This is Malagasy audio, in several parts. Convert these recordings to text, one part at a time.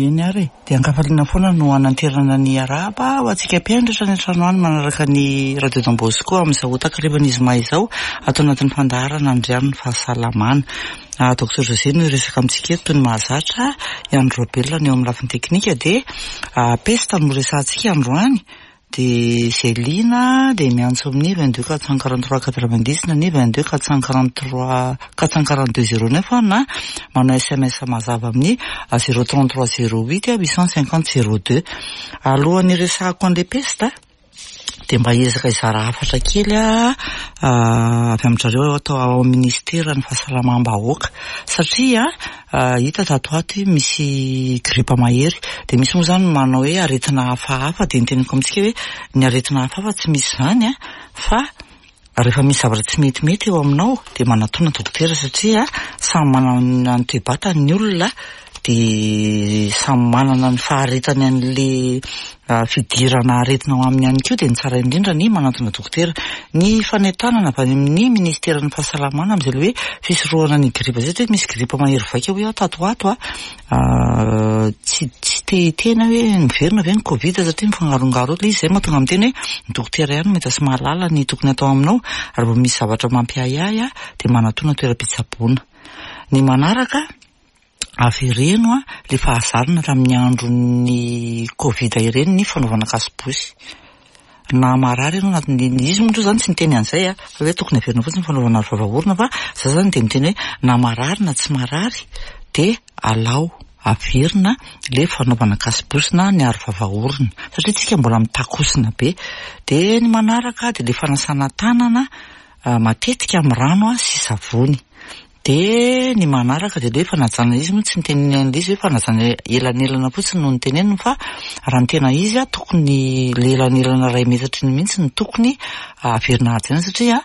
Eny ary e! Dia an-kafaliana foana no hananterana ny arahaba ho antsika mpihaino rehetra any an-trano any manaraka ny Radio Don Bosco amin'izao takarivan'ny zoma izao ato anatin'ny fandaharana Andriano ny fahasalamana. Docteur José no hiresaka amintsika eto toy ny mahazatra, i Andry Raobelina no eo amin'ny lafiny teknika dia pesta no resahantsika androany. Dia izay liana dia miantso amin'ny 22 443 90 na ny 22 443 442 09 na manao sms mazava amin'ny 033 08 850 02. Alohan'ny hiresahako an'ilay pesta dia mba hiezaka hizara hafatra kely aho avy amin-dry zareo ato ao amin'ny ministeran'ny fahasalamam-bahoaka satria Hita tato ho ato hoe misy gripa mahery. Dia misy moa izany manao hoe aretina hafahafa. Dia ny teneniko amintsika hoe ny aretina hafahafa tsy misy izany an, fa rehefa misy zavatra tsy metimety eo aminao dia manatòna dokotera satria samy manana ny toe-batany ny olona dia samy manana ny faharetany an'ilay fidirana aretina ao aminy ihany koa dia ny tsara indrindra ny manantona dokotera. Ny fanentanana avy any amin'ny ministeran'ny fahasalamana amin'izay ilay hoe fisorohana ny gripa izay satria misy gripa mahery vaika hoy aho tato ho ato a, tsy tsy te hiteny aho hoe miverina ve ny covid satria mifangarongaro eo ilay izy, izay mahatonga miteny hoe ny dokotera ihany no mahita sy mahalala ny tokony atao aminao raha vao misy zavatra mampiahiahy dia manatona toeram-pitsaboana. Ny manaraka. Avereno a le fahazarana tamin'ny andron'ny covid ireny ny fanaovana kasibosy. Na marary ianao anatin'ny, izy moa zany tsy niteny an'izay a, fa hoe tokony averina fotsiny ny fanaovana aro vava orona fa za zany dia miteny hoe na marary na tsy marary dia alao averina le fanaovana kasibosy na ny aro vava orona satria tsika mbola mitakosina be. Dia ny manaraka dia le fanasana tanana matetika amin'ny rano sy savony. Dia ny manaraka dia ilay hoe fanajana, izy moa tsy niteny an'ilay izy hoe fanajana elanelana fotsiny no noteneniny fa raha ny tena izy tokony ilay elanelana iray metatra iny mihitsy no tokony averina hajaina satria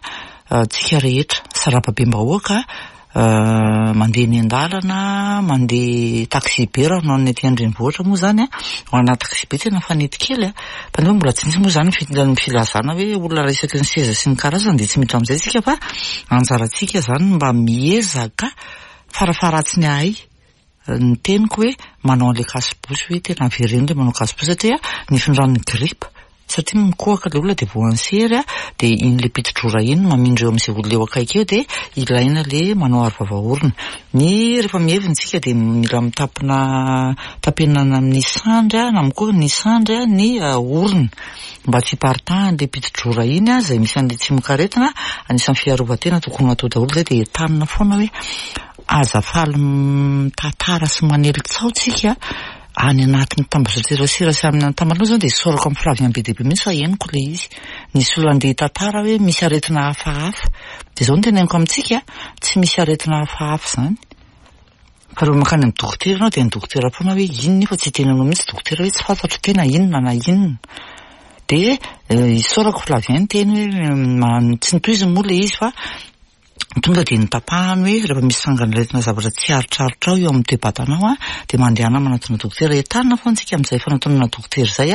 tsika rehetra sarababem-bahoaka mandeha eny an-dalana, mandeha taxi be raha ho an'ny aty an-drenivohitra moa izany an, ho ana taxi be tena mifanety kely an, fa nefa mbola tsy nisy moa izany ny filazana hoe olona iray isaky ny seza sy ny karazany dia tsy miditra amin'izay isika fa anjarantsika izany ny mba miezaka farafaharatsiny ahay ny teniko hoe manao an'ilay kasibosy hoe tena avereno ilay manao kasibosy satria ny findran'ny gripa satria mikohaka ilay olona dia voan'ny sery dia iny ilay piti-drora iny no mamindra eo amin'izay olona eo akaiky eo dia ilaina ilay manao aro vava orona. Ny rehefa mihevina isika dia mila mitapina tapenana amin'ny sandry na koa ny sandry ny orona mba tsy hiparitahan'ilay piti-drora iny izay misy an'ilay tsimokaretina. Anisan'ny fiarovan-tena tokony ho atao daholo izay dia entanina foana hoe aza faly mitantara sy manely tsaho tsika any anatin'ny tambazotserasera sy amin'ny antamana aloha izany dia isaorako amin'ny Flavien be dia be mihitsy fa henoko ilay izy. Nisy olona andeha hitantara hoe misy aretina hafahafa. Dia izao no teneniko amintsika, tsy misy aretina hafahafa izany. Fa rehefa mankany amin'ny dokotera ianao dia ny dokotera foana hoe inona io fa tsy hiteny anao mihitsy dokotera hoe tsy fantatro tena inona na inona. Dia isaorako Flavien niteny hoe tsy notohiziny moa ilay izy fa Tonga dia notapahany hoe rehefa misy sangan'aretina zavatra tsy aritraritrao eo amin'ny toe-batanao dia mandehana manatona dokotera. Entanina foana isika amin'izay fanatonana dokotera izay,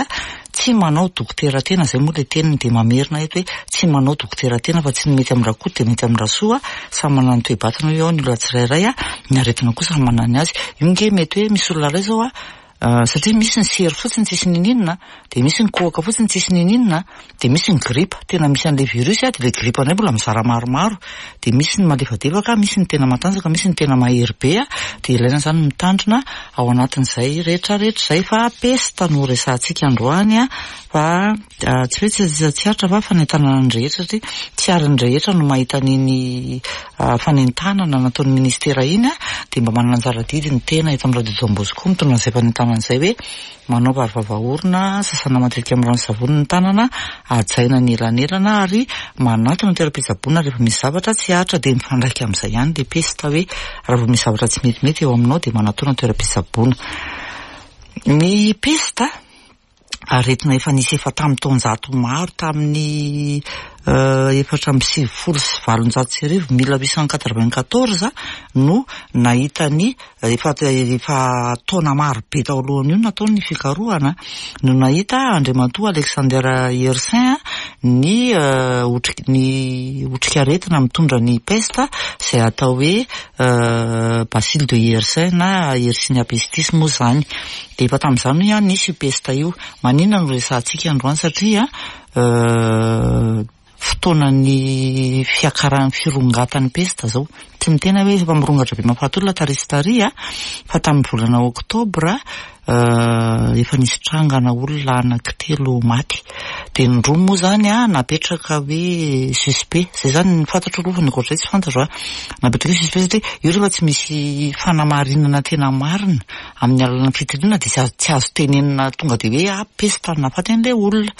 tsy manao dokotera tena, izay moa ilay teniny dia mamerina eto hoe tsy manao dokotera tena fa tsy ny mety amin'ny Rakoto dia mety amin'ny Rasoa, samy manana ny toe-batana io ny olona tsirairay, ny aretina koa samy manana ny azy. Io ange mety hoe misy olona iray izao Satria misy ny sery fotsiny tsisy ninininona, dia misy ny kohaka fotsiny tsisy ninininona, dia misy ny gripa, tena misy an'ilay virus dia ilay gripa indray mbola mizara maromaro, dia misy ny malefadefaka, misy ny tena matanjaka, misy ny tena mahery be, dia ilaina izany ny mitandrina ao anatin'izay rehetra rehetra izay fa pesta no resahantsika androany fa Tsy hoe tsy tsy aritra fa fanentanana ny rehetra satria tsy ary ny rehetra no mahita an'iny fanentanana nataon'ny ministera iny dia mba manana anjara adidy ny tena eto amin'ny radio Don Bosco mitondra an'izay fanentanana izay hoe manaova aro vava orona, sasana matetika amin'ny rano sy savony ny tanana, hajaina ny elanelana ary manatona toeram-pitsaboana rehefa misy zavatra tsy aritra dia mifandraika amin'izay ihany ilay pesta hoe raha vao misy zavatra tsy metimety eo aminao dia manatona toeram-pitsaboana. Ny pesta Aretina efa nisy efa tamin'ny taonjato maro tamin'ny 1894, 1894, no nahita ny, efa efa taona maro be tao alohan'io no natao ny fikarohana, no nahita Andriamatoa Alexander Yersin ny otriky ny otrikaretina mitondra ny pesta izay atao hoe bacille de Yersin na Yersinia pestis moa izany. Dia efa tamin'izany hoy aho nisy io pesta io. Maninona no resahantsika androany satria fotoanan'ny fiakaran'ny firongatan'ny pesta izao. Tsy miteny aho hoe efa mirongatra be mahafaty olona tary sy tary fa tamin'ny volana oktobra efa nisy trangana olona anankitelo maty. Dia ny roa moa izany napetraka hoe suspect. Izay izany ny fantatro aloha fa ny ankoatr'izay tsy fantatro. Napetraka hoe suspect satria io rehefa tsy misy fanamarinana tena marina amin'ny alalan'ny fitiliana dia tsy azo tsy azo tenenina tonga dia hoe ah pesta no nahafaty an'ilay olona.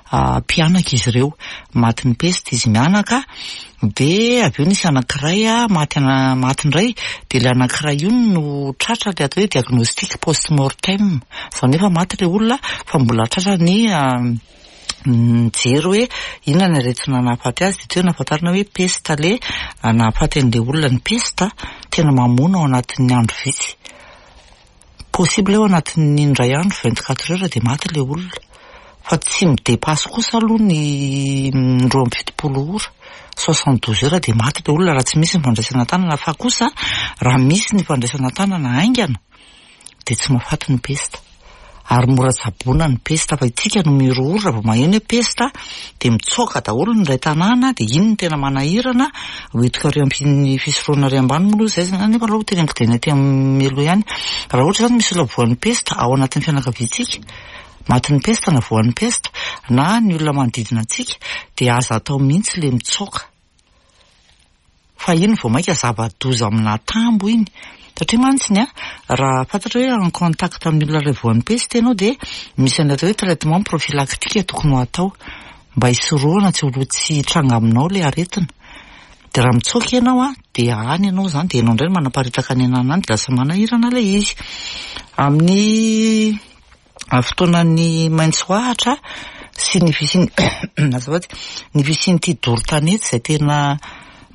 Mpianaka izy ireo. Matin'ny pesta izy mianaka dia avy eo nisy anankiray maty maty indray dia ilay anankiray io no tratra ilay atao hoe diagnostic post mortem. Izany hoe efa maty ilay olona fa mbola tratra ny nijery hoe inona ny aretina nahafaty azy dia teo nahafantarana hoe pesta ilay nahafaty an'ilay olona. Ny pesta tena mamono ao anatin'ny andro vitsy. Possible hoe ao anatin'ny indray andro, 24 heures dia maty ilay olona. Fa tsy mi-depasse kosa aloha ny 72 ora, 72 heures dia maty ilay olona raha tsy misy ny fandraisana an-tanana. Fa kosa raha misy ny fandraisana an-tanana haingana dia tsy mahafaty ny pesta. Ary mora tsaboina ny pesta fa itsika no mirohoro raha vao maheno hoe pesta dia mitsoaka daholo ny iray tanàna dia iny no tena manahirana, hoentiko ary amin'ny fisorohana ary ambany moa aloha izay izany nefa aloha teneniko dia ny aty amin'ny aloha ihany. Raha ohatra izany misy olona voan'ny pesta ao anatin'ny fianakaviantsika, matin'ny pesta na voan'ny pesta na ny olona manodidina antsika dia aza atao mihitsy ilay mitsoaka. Fa iny vao mainka zava-doza amin'atambo iny. Satria mantsy ny raha fantatra hoe en contact amin'ny olona iray voan'ny peste ianao dia misy an'ilay atao hoe traitement prophylactique tokony ho atao mba hisorohana tsy ho tsy hitranga aminao ilay aretina. Dia raha mitsoaka ianao an, dia any ianao izany dia ianao indray no manaparitaka ny ananany any dia lasa manahirana ilay izy. Amin'ny fotoanan'ny maitso ahitra sy ny fisian'ny azafady, ny fisian'ity doro tanety izay tena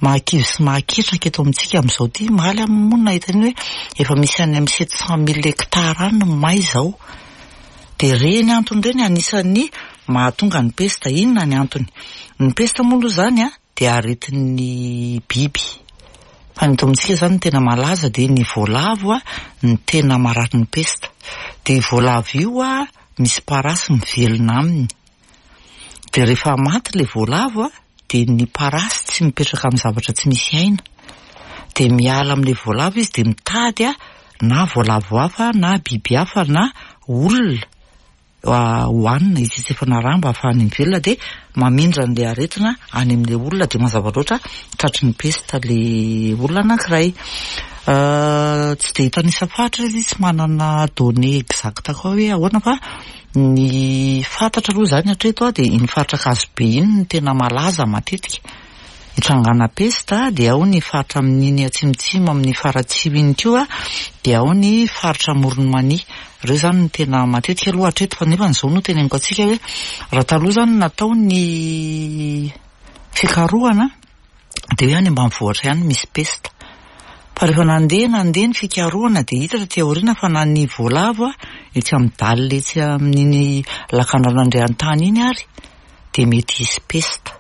mahakivy sy mahaketraka eto amintsika amin'izao ity. Omaly aho moa no nahita an'iny hoe efa misy any amin'ny 700 mille hectares any no may izao. Dia ireny antony ireny anisan'ny mahatonga ny pesta. Inona ny antony? Ny pesta moa aloha izany an, dia aretin'ny biby. Fa ny eto amintsika izany ny tena malaza dia ny voalavo no tena marary ny pesta. Dia io voalavo io misy parasy mivelona aminy. Dia rehefa maty ilay voalavo dia ny parasy tsy mipetraka amin'ny zavatra tsy misy aina. Dia miala amin'ilay voalavo izy dia mitady na voalavo hafa na biby hafa na olona. hohanina hitsetsefana rà mba hahafahany mivelona dia mamindra an'ilay aretina any amin'ilay olona dia mazava loatra tratry ny pesta ilay olona anankiray. Tsy dia hitanisa faritra izy, tsy manana données exactes koa hoe ahoana fa ny fantatra aloha izany hatreto dia iny faritra Ankazobe iny no tena malaza matetika. Hitrangana pesta dia ao ny faritra amin'iny atsimotsimo amin'ny Faratsiho iny koa dia ao ny faritra Amoron'i Mania. Ireo izany no tena matetika aloha hatreto fa nefa izao no teneniko antsika hoe raha taloha izany natao ny fikarohana dia hoe any ambanivohitra ihany misy pesta. Fa rehefa nandeha nandeha ny fikarohana dia hita taty aoriana fa na ny voalavo etsy amin'ny dalle etsy amin'iny lakandrano Andriantany iny ary dia mety hisy pesta.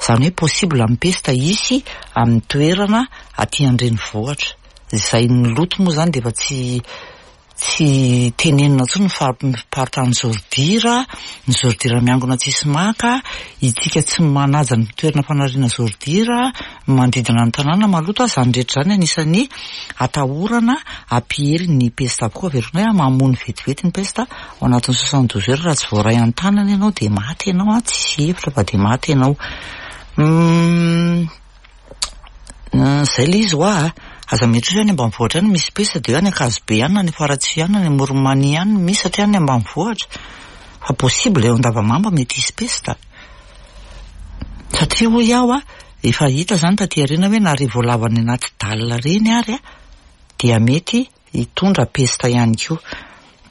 Izany hoe possible ny pesta hisy amin'ny toerana aty an-drenivohitra. Izay ny loto moa izany dia efa tsy tsy tenenina intsony ny famparitan'ny zôridira, ny zôridira miangona tsisy maka, itsika tsy manaja ny toerana fanariana zôridira, ny manodidina ny tanàna maloto, izany rehetra izany anisan'ny atahorana hampiely ny pesta avokoa. Averiko indray, mamono vetivety ny pesta. Ao anatin'ny 72 heures raha tsy voaray an-tanana ianao dia maty ianao an, tsisy hevitra fa dia maty ianao. Izay ilay izy hoa a. Aza mieritreritra hoe any ambanivohitra any misy pesta dia hoe any Ankazobe any na any Faratsiho any na any Amoron'i Mania any no misy satria any ambanivohitra. Fa possible eo Andavamamba mety hisy pesta. Satria hoy aho a, efa hita izany taty aoriana hoe na ireny voalavo any anaty dalle ireny ary a, dia mety hitondra pesta ihany koa.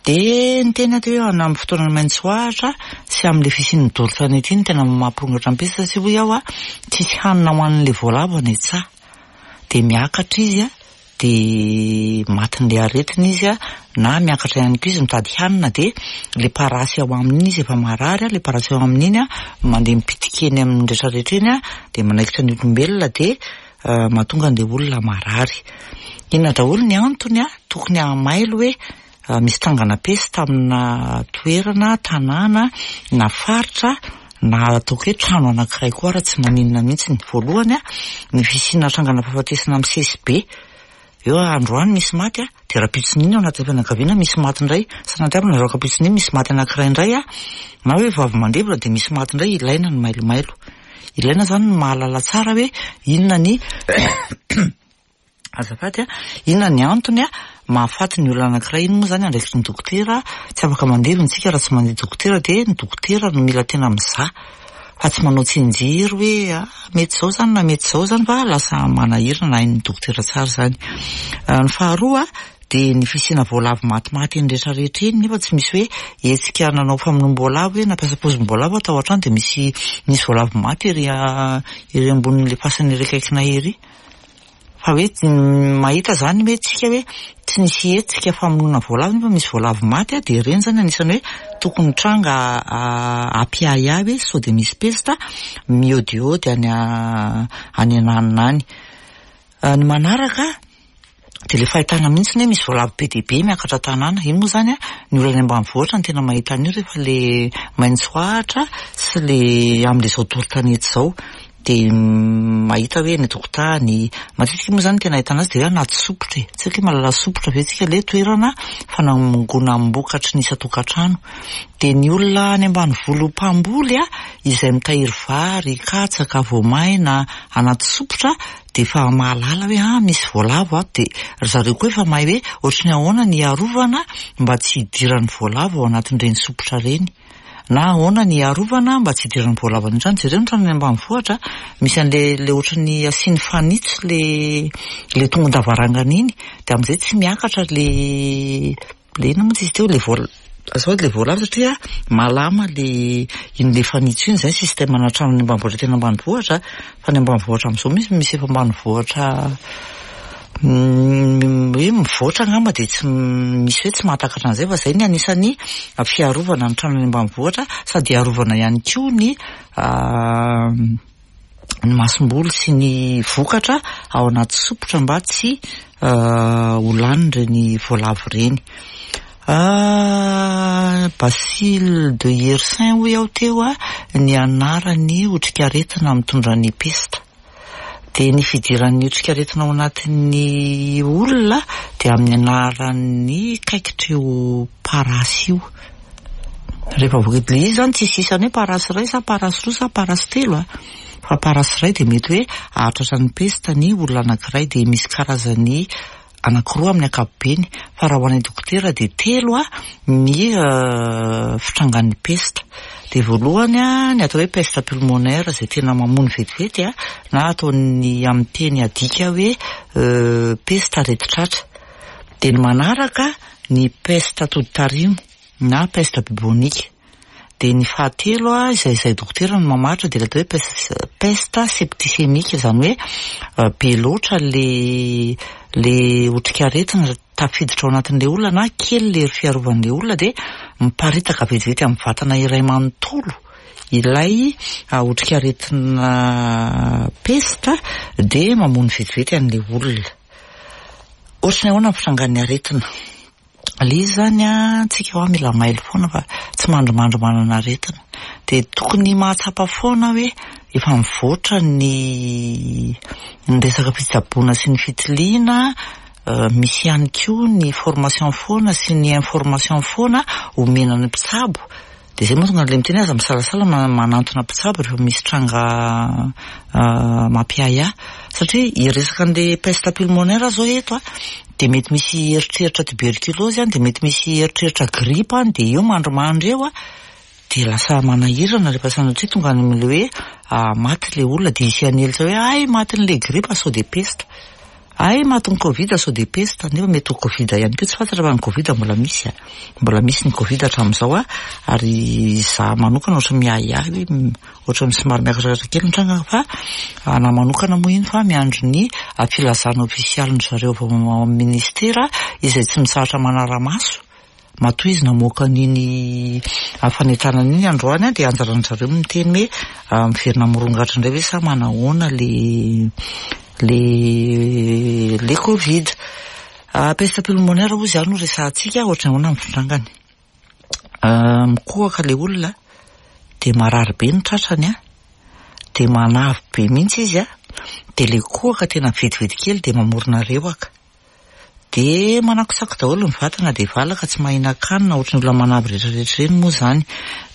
Dia niteny aho teo hoe amin'ny fotoanan'ny maitso ahitra sy amin'ilay fisian'ny doro tanety iny tena mampirongatra ny pesta satria hoy aho tsisy hanina ho an'ilay voalavo any an-tsaha. Dia miakatra izy dia matin'ilay aretina izy na miakatra ihany koa izy mitady hanina dia ilay parasy ao aminy iny izy efa marary, ilay parasy ao aminy iny mandeha mipitika eny amin'ny rehetra rehetra eny dia manaikitra ny olombelona dia mahatonga an'ilay olona marary. Inona daholo ny antony tokony hahamailo hoe misy trangana pesta amina toerana, tanàna na faritra na ataoko hoe trano anankiray koa ara tsy maninona mihitsy. Voalohany, ny fisiana trangana fahafatesana misesy be. Eo androany misy maty dia rahampitson'iny ao anatin'ny fianakaviana misy maty indray, sanatria rahampitson'iny misy maty anankiray indray na hoe vao avy mandevina dia misy maty indray, ilaina ny mailomailo. Ilaina izany ny mahalala tsara hoe inona ny azafady a, inona ny antony a mahafaty ny olona anankiray. Iny moa izany andraikitry ny dokotera, tsy afaka mandevina isika raha tsy mandeha dokotera dia ny dokotera no mila tena mizaha fa tsy manao tsianjery hoe ah mety izao izany na mety izao izany fa lasa manahirana hain'ny dokotera tsara izany. Ny faharoa dia ny fisiana voalavo matimaty eny rehetra rehetra eny nefa tsy misy hoe hetsika nanao famonoam-boalavo hoe nampiasa pozim-boalavo tao an-trano dia misy nisy voalavo maty ery ery ambonin'ilay fasana ery akaikinay ery. Fa hoe mahita izany hoe tsika hoe tsy nisy hetsika famonoana voalavo nefa misy voalavo maty dia ireny izany anisan'ny hoe tokony tranga hampiahiahy hoe sao dia misy pesta miodiody any any ananona any. Ny manaraka dia ilay fahitana mihitsy hoe misy voalavo be dia be miakatra an-tanàna. Iny moa izany ny olona any ambanivohitra no tena mahita an'io rehefa ilay maitso ahitra sy ilay amin'izao doro tanety izao. Dia mahita hoe eny an-tokotany, matetika moa izany ny tena ahitana azy dia hoe anaty sopotra e. Tsy haiko hoe mahalala sopotra ve tsika ilay toerana fanangonam-bokatry ny isan-tokantrano. Dia ny olona any ambanivolo mpamboly izay mitahiry vary, katsaka, voamaina anaty sopotra dia efa mahalala hoe ah misy voalavo ato, dia ry zareo koa efa mahay hoe ohatry ny ahoana ny hiarovana mba tsy hidiran'ny voalavo ao anatin'ireny sopotra ireny, na ahoana ny hiarovana mba tsy hidiran'ny voalavo any an-trano. Jereo ny trano any ambanivohitra, misy an'ilay ilay ohatry ny asiany fanitso ilay ilay tongon-davarangana iny, dia amin'izay tsy miakatra ilay Le inona moa izy teo le voal azafady le voalavo satria malama le iny le fanitso iny zay système ana trano any ambanivohitra tena ambanivohitra fa ny ambanivohitra amin'izao misy misy efa ambanivohitra hoe mivoatra angamba dia tsy misy hoe tsy mahatakatra an'izay fa zay ny anisan'ny fiarovana ny trano any ambanivohitra sady hiarovana ihany koa ny ny masomboly sy ny vokatra ao anaty sopotra mba tsy ho lanin'ireny voalavo ireny. Bacille de Yersin hoy aho teo ny anaran'ny otrikaretina mitondra ny pesta. Dia ny fidiran'ny otrikaretina ao anatin'ny olona dia amin'ny anaran'ny kaikitr'io parasy io. Rehefa voakidy ilay izy izany tsisy isany hoe parasy iray sa parasy roa sa parasy telo a. Fa parasy iray dia mety hoe hahatratra ny pesta ny olona anankiray dia misy karazany anankiroa amin'ny ankapobeny fa raha ho an'ny dokotera dia telo ny fitrangan'ny pesta. Dia voalohany ny atao hoe peste pulmonaire izay tena mamono vetivety na ataon'ny amin'ny teny adika hoe pesta aretin-tratra. Dia ny manaraka ny peste atoditarimo na peste bubonique. Dia ny fahatelo izay izay dokotera no mamaritra dia ilay atao hoe peste peste septicémique izany hoe be loatra le le otrikaretina tafiditra ao anatin'ilay olona na kely le hery fiarovan'ilay olona dia miparitaka vetivety amin'ny vatana iray manontolo ilay otrikaretina peste dia mamono vetivety an'ilay olona. Ohatry ny ahoana ny fitrangan'ny aretina? Ilay izy izany an, tsika hoa mila mailo foana fa tsy mandrimandry manana aretina. Dia tokony mahatsapa foana hoe efa mivoatra ny ny resaka fitsaboana sy ny fitiliana, misy ihany koa ny formation foana sy ny information foana omena ny mpitsabo. Dia izay mahatonga an'ilay miteny hoe aza misalasala manantona mpitsabo rehefa misy tranga mampiahiahy. Satria hiresaka an'ilay peste pulmonaire aho izao eto an, dia mety misy eritreritra tuberculose any, dia mety misy eritreritra grippe any, dia eo mandrimandry eo an, dia lasa manahirana rehefa sanatria tonga any amin'ilay hoe maty ilay olona, dia hisy hanelitra hoe hay matin'ilay grippe sao dia peste. Hay matin'ny covid sao dia pesta nefa mety ho covid ihany koa tsy fantatra fa ny covid mbola misy a. Mbola misy ny covid hatramin'izao a, ary izaho manokana ohatran'ny miahiahy hoe ohatran'ny somary miakatrakatra kely ny tranga fa anahy manokana moa iny fa miandry ny filazana ofisialin-dry zareo avy ao amin'ny ministera izay tsy mitsahatra manara-maso. Matoa izy namoaka an'iny fanentanana iny androany dia anjaran-dry zareo no miteny hoe miverina mirongatra indray ve sa manahoana le le le covid. Peste pulmonaire hozy izany no resahantsika, ohatran'ny ahoana ny fitrangany. Mikohaka ilay olona dia marary be ny tratrany an, dia manavy be mihitsy izy an, dia ilay kohaka tena vetivety kely dia mamorona rewaka. Dia manakotsako daholo ny vatana dia valaka tsy mahinan-kanina ohatran'ny olona manavy rehetra rehetra ireny moa izany.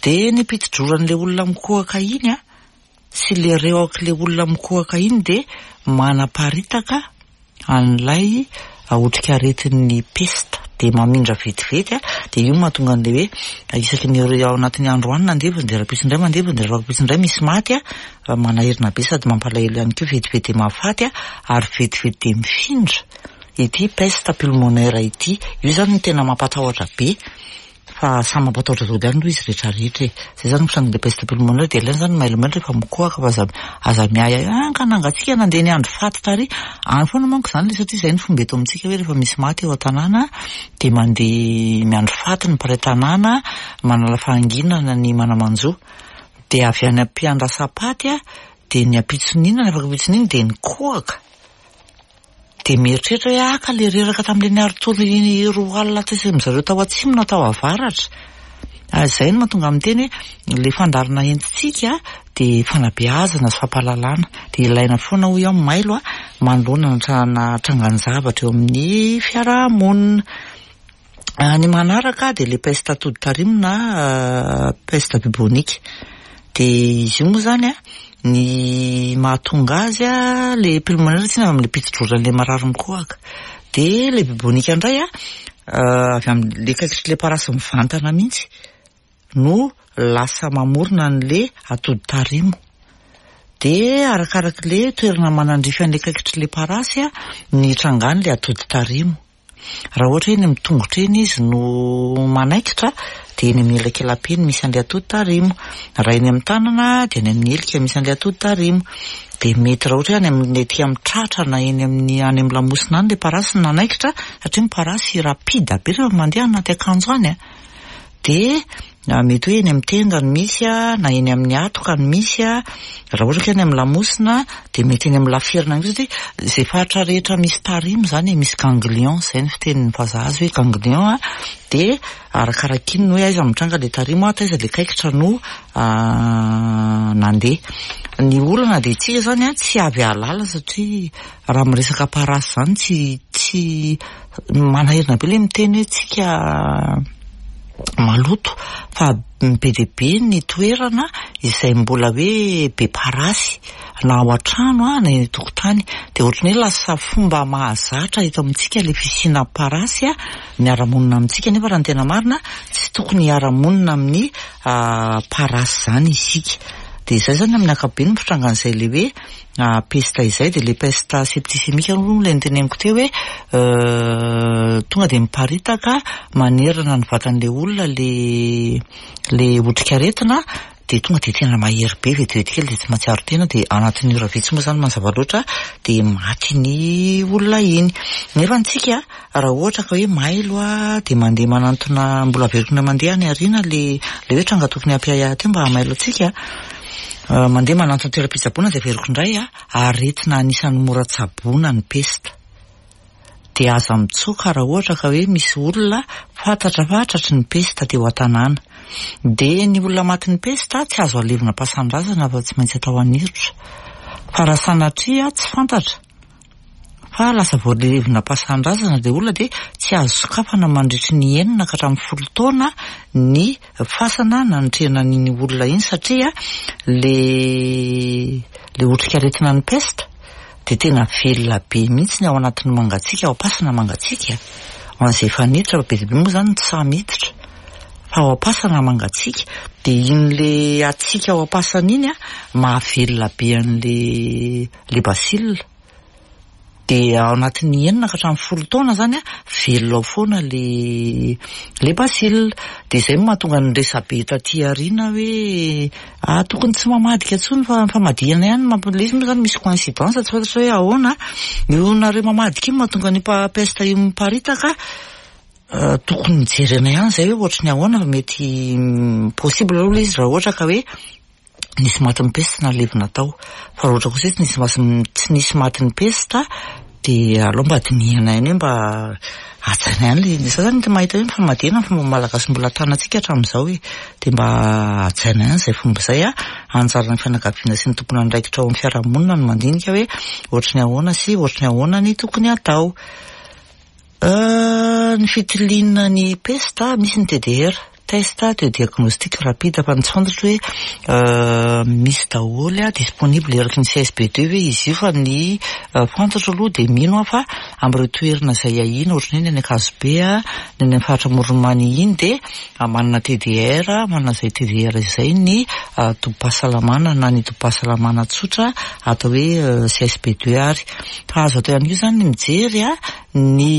Dia ny piti-droran'ilay olona mikohaka iny an, sy ilay rehok'ilay olona mikohaka iny dia manaparitaka an'ilay otrikaretin'ny pesta. Dia mamindra vetivety an, dia io no mahatonga an'ilay hoe isaky ny ao anatin'ny andro any nandevina dia rahampitso indray mandevina dia rahampitso indray misy maty an. Manahirana be sady mampalahelo ihany koa vetivety dia mahafaty ary vetivety dia mifindra ity peste pulmonaire ity. Io izany no tena mampatahotra be fa samy mampatahotra daholo ihany aloha izy rehetra rehetra e. Izay izany ny fitrangan'ilay peste pulmonaire dia ilaina izany ny mailomailo rehefa mikohaka fa aza aza miahiahy hoe ah ka nangatsiaka nandeha niandry faty tary. Any foana manko izany ilay satria izay ny fomba eto amintsika hoe rehefa misy maty eo an-tanàna dia mandeha miandry faty ny mpiray tanàna manala fahanginana ny mana-manjo. Dia avy any am-piandrasam-paty dia ny ampitson'iny na ny afaka ampitson'iny dia nikohaka. Dia mieritreritra hoe ah ka le reraka tamin'ilay niari-tory roa alina tetsy amin-dry zareo tao atsimo na tao avaratra. Ary izay no mahatonga ahy miteny hoe ilay fandaharana entintsika dia fanabeazana sy fampahalalana. Dia ilaina foana hoy aho mailo manoloana ny trangan-javatra eo amin'ny fiaraha-monina. Ny manaraka dia ilay peste atody tarimo na peste bubonique. Dia izy io moa izany an, ny mahatonga azy an, ilay pulmonaire tsinona avy amin'ilay piti-droran'ilay marary mikohaka. Dia ilay bubonique indray an, avy amin'ilay kaikitr'ilay parasy mivantana mihitsy no lasa mamorona an'ilay atody tarimo. Dia arakarak'ilay toerana manandrify an'ilay kaikitr'ilay parasy ny hitrangan'ilay atody tarimo. Raha ohatra hoe eny amin'ny tongotra eny izy no manaikitra dia eny amin'ny elakelape no misy an'ilay atody tarimo. Raha eny amin'ny tanana dia any amin'ny helika misy an'ilay atody tarimo. Dia mety raha ohatra hoe any amin'ny ety amin'ny tratra na eny amin'ny any amin'ny lamosina any ilay parasy no nanaikitra satria ny parasy rapide be rehefa mandeha anaty akanjo any a. Dia mety hoe eny amin'ny tenda no misy na eny amin'ny hatoka no misy, raha ohatra ka eny amin'ny lamosina dia mety eny amin'ny laferina ihany koa satria izay faritra rehetra misy tarimo izany e, misy ganglion, izay ny fitenin'ny vazaha azy hoe ganglion dia arakaraka iny hoe aiza mitranga ilay tarimo, taiza ilay kaikitra no nandeha. Ny olana dia isika izany tsy avy hahalala satria raha miresaka parasy izany tsy tsy manahirana be ilay miteny hoe tsika maloto fa be dia be ny toerana izay mbola hoe be parasy na ao an-trano na eny an-tokotany dia ohatran'ny hoe lasa fomba mahazatra eto amintsika ilay fisiana parasy miara-monina amintsika nefa raha ny tena marina tsy tokony hiara-monina amin'ny parasy izany isika dia izay izany amin'ny ankapobeny ny fitrangan'izay ilay hoe peste izay dia ilay peste septicémique aloha ilay noteneniko teo hoe tonga dia miparitaka manerana ny vatan'ilay olona ilay ilay otrikaretina dia tonga dia tena mahery be vetivety kely dia tsy mahatsiaro tena dia anatin'ny ora vitsy moa izany mazava loatra dia maty ny olona iny. Nefa antsika raha ohatra ka hoe mailo dia mandeha manantona mbola averiko indray mandeha any aoriana ilay ilay hoe tranga tokony hampiahiahy teo mba hamailo antsika. Mandeha manantona toeram-pitsaboana dia averiko indray a, aretina anisan'ny mora tsaboina ny pesta. Dia aza mitsoaka raha ohatra ka hoe misy olona fantatra fa tratry ny pesta teo an-tanàna. Dia ny olona matin'ny pesta tsy azo alevina am-pasan-drazana fa tsy maintsy atao an'irotra. Fa raha sanatria tsy fantatra fa lasa voalevina am-pasan-drazana ilay olona dia tsy azo sokafana mandritry ny enina ka hatramin'ny folo taona ny fasana nanotrehana an'iny olona iny satria le le otrikaretina ny peste dia tena velona be mihitsy ny ao anatin'ny mangatsiaka ao am-pasana mangatsiaka ho an'izay efa niditra fa be dia be moa izany tsy sahy miditra fa ao am-pasana mangatsiaka dia iny le hatsiaka ao am-pasana iny a mahavelona be an'le le bacille. Dia ao anatin'ny enina ka hatramin'ny 10 taona izany an, velona ao foana le le bacille. Dia izay no mahatonga ny resabe taty aoriana hoe ah tokony tsy mamadika intsony fa ny famadihana ihany no mamp-, ilay izy moa izany misy coïncidence tsy fantatro hoe ahoana. Io nareo mamadika io no mahatonga an'io peste io miparitaka. Tokony jerena ihany izay hoe ohatry ny ahoana fa mety possible aloha ilay izy raha ohatra ka hoe nisy matin'ny peste nalevina tao. Fa raha ohatra kosa hoe tsy nisy mas-, tsy nisy matin'ny peste dia aleo mba dinihana ihany hoe mba hajaina ihany ilay izy. Za zany mahita hoe ny famadihana ny fomba malagasy mbola tanantsika hatramin'izao e. Dia mba hajaina ihany izay fomba izay an. Anjaran'ny fianakaviana sy ny tompon'andraikitra ao amin'ny fiarahamonina no mandinika hoe ohatry ny ahoana sy ohatry ny ahoana ny tokony hatao. Ny fitiliana ny pesta, misy ny TDR, test de diagnostic rapide, fa ny tsy fantatro hoe misy daholo, disponible eraky ny CSB deux ve izy io, fa ny fantatro aloha dia mino aho fa amin'ireo toerana izay ahiana ohatran'ny hoe ny any Ankazobe, ny any amin'ny faritra Amoron'i Mania iny dia manana TDR, manana izay TDR izay ny tobim-pahasalamana na ny tobim-pahasalamana tsotra atao hoe CSB deux ary. Fa azo atao ihany koa izany ny mijery ny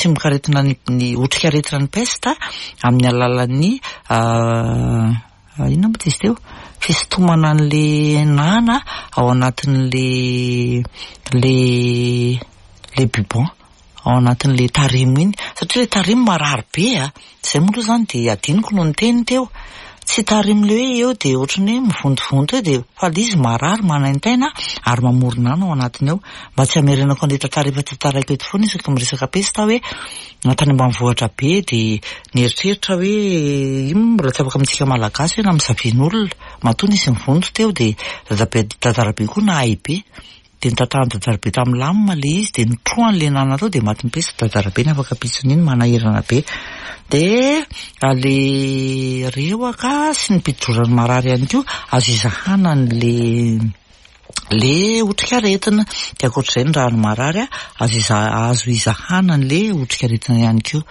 tsimokaretina ny ny otrikaretina ny peste amin'ny alalan'ny inona moa izy teo? Fisintomana an'le nana ao anatin'le le le bubon. ao anatin'ilay tarimo iny, satria ilay tarimo marary be a! Izay moa aloha izany dia adinoko no niteny teo, tsy tarimo ilay hoe eo dia ohatran'ny hoe mivontovonto eo dia fa ilay izy marary, manaintaina ary mamorona ana ao anatiny ao. Mba tsy hamerenako an'ilay tantara efa tantaraiko eto foana isaky ny miresaka pesta aho hoe na tany ambanivohitra be dia nieritreritra hoe io moa mbola tsy afaka amintsika malagasy hoe namosavian'olona, matoa nisy nivonto teo dia dadabe dadarabe koa nahay be. Dia notatahan'i Dadarabe tamin'ny lamina ilay izy, dia notrohany ilay nana tao, dia maty mipesy Dadarabe ny afaka ampitson'iny, manahirana be. Dia ilay rehoka sy ny mpidroran'ny marary ihany koa azo izahana an'ilay ilay otrikaretina. Dia ankoatr'izay ny rano marary azo iza- azo izahana an'ilay otrikaretina ihany koa.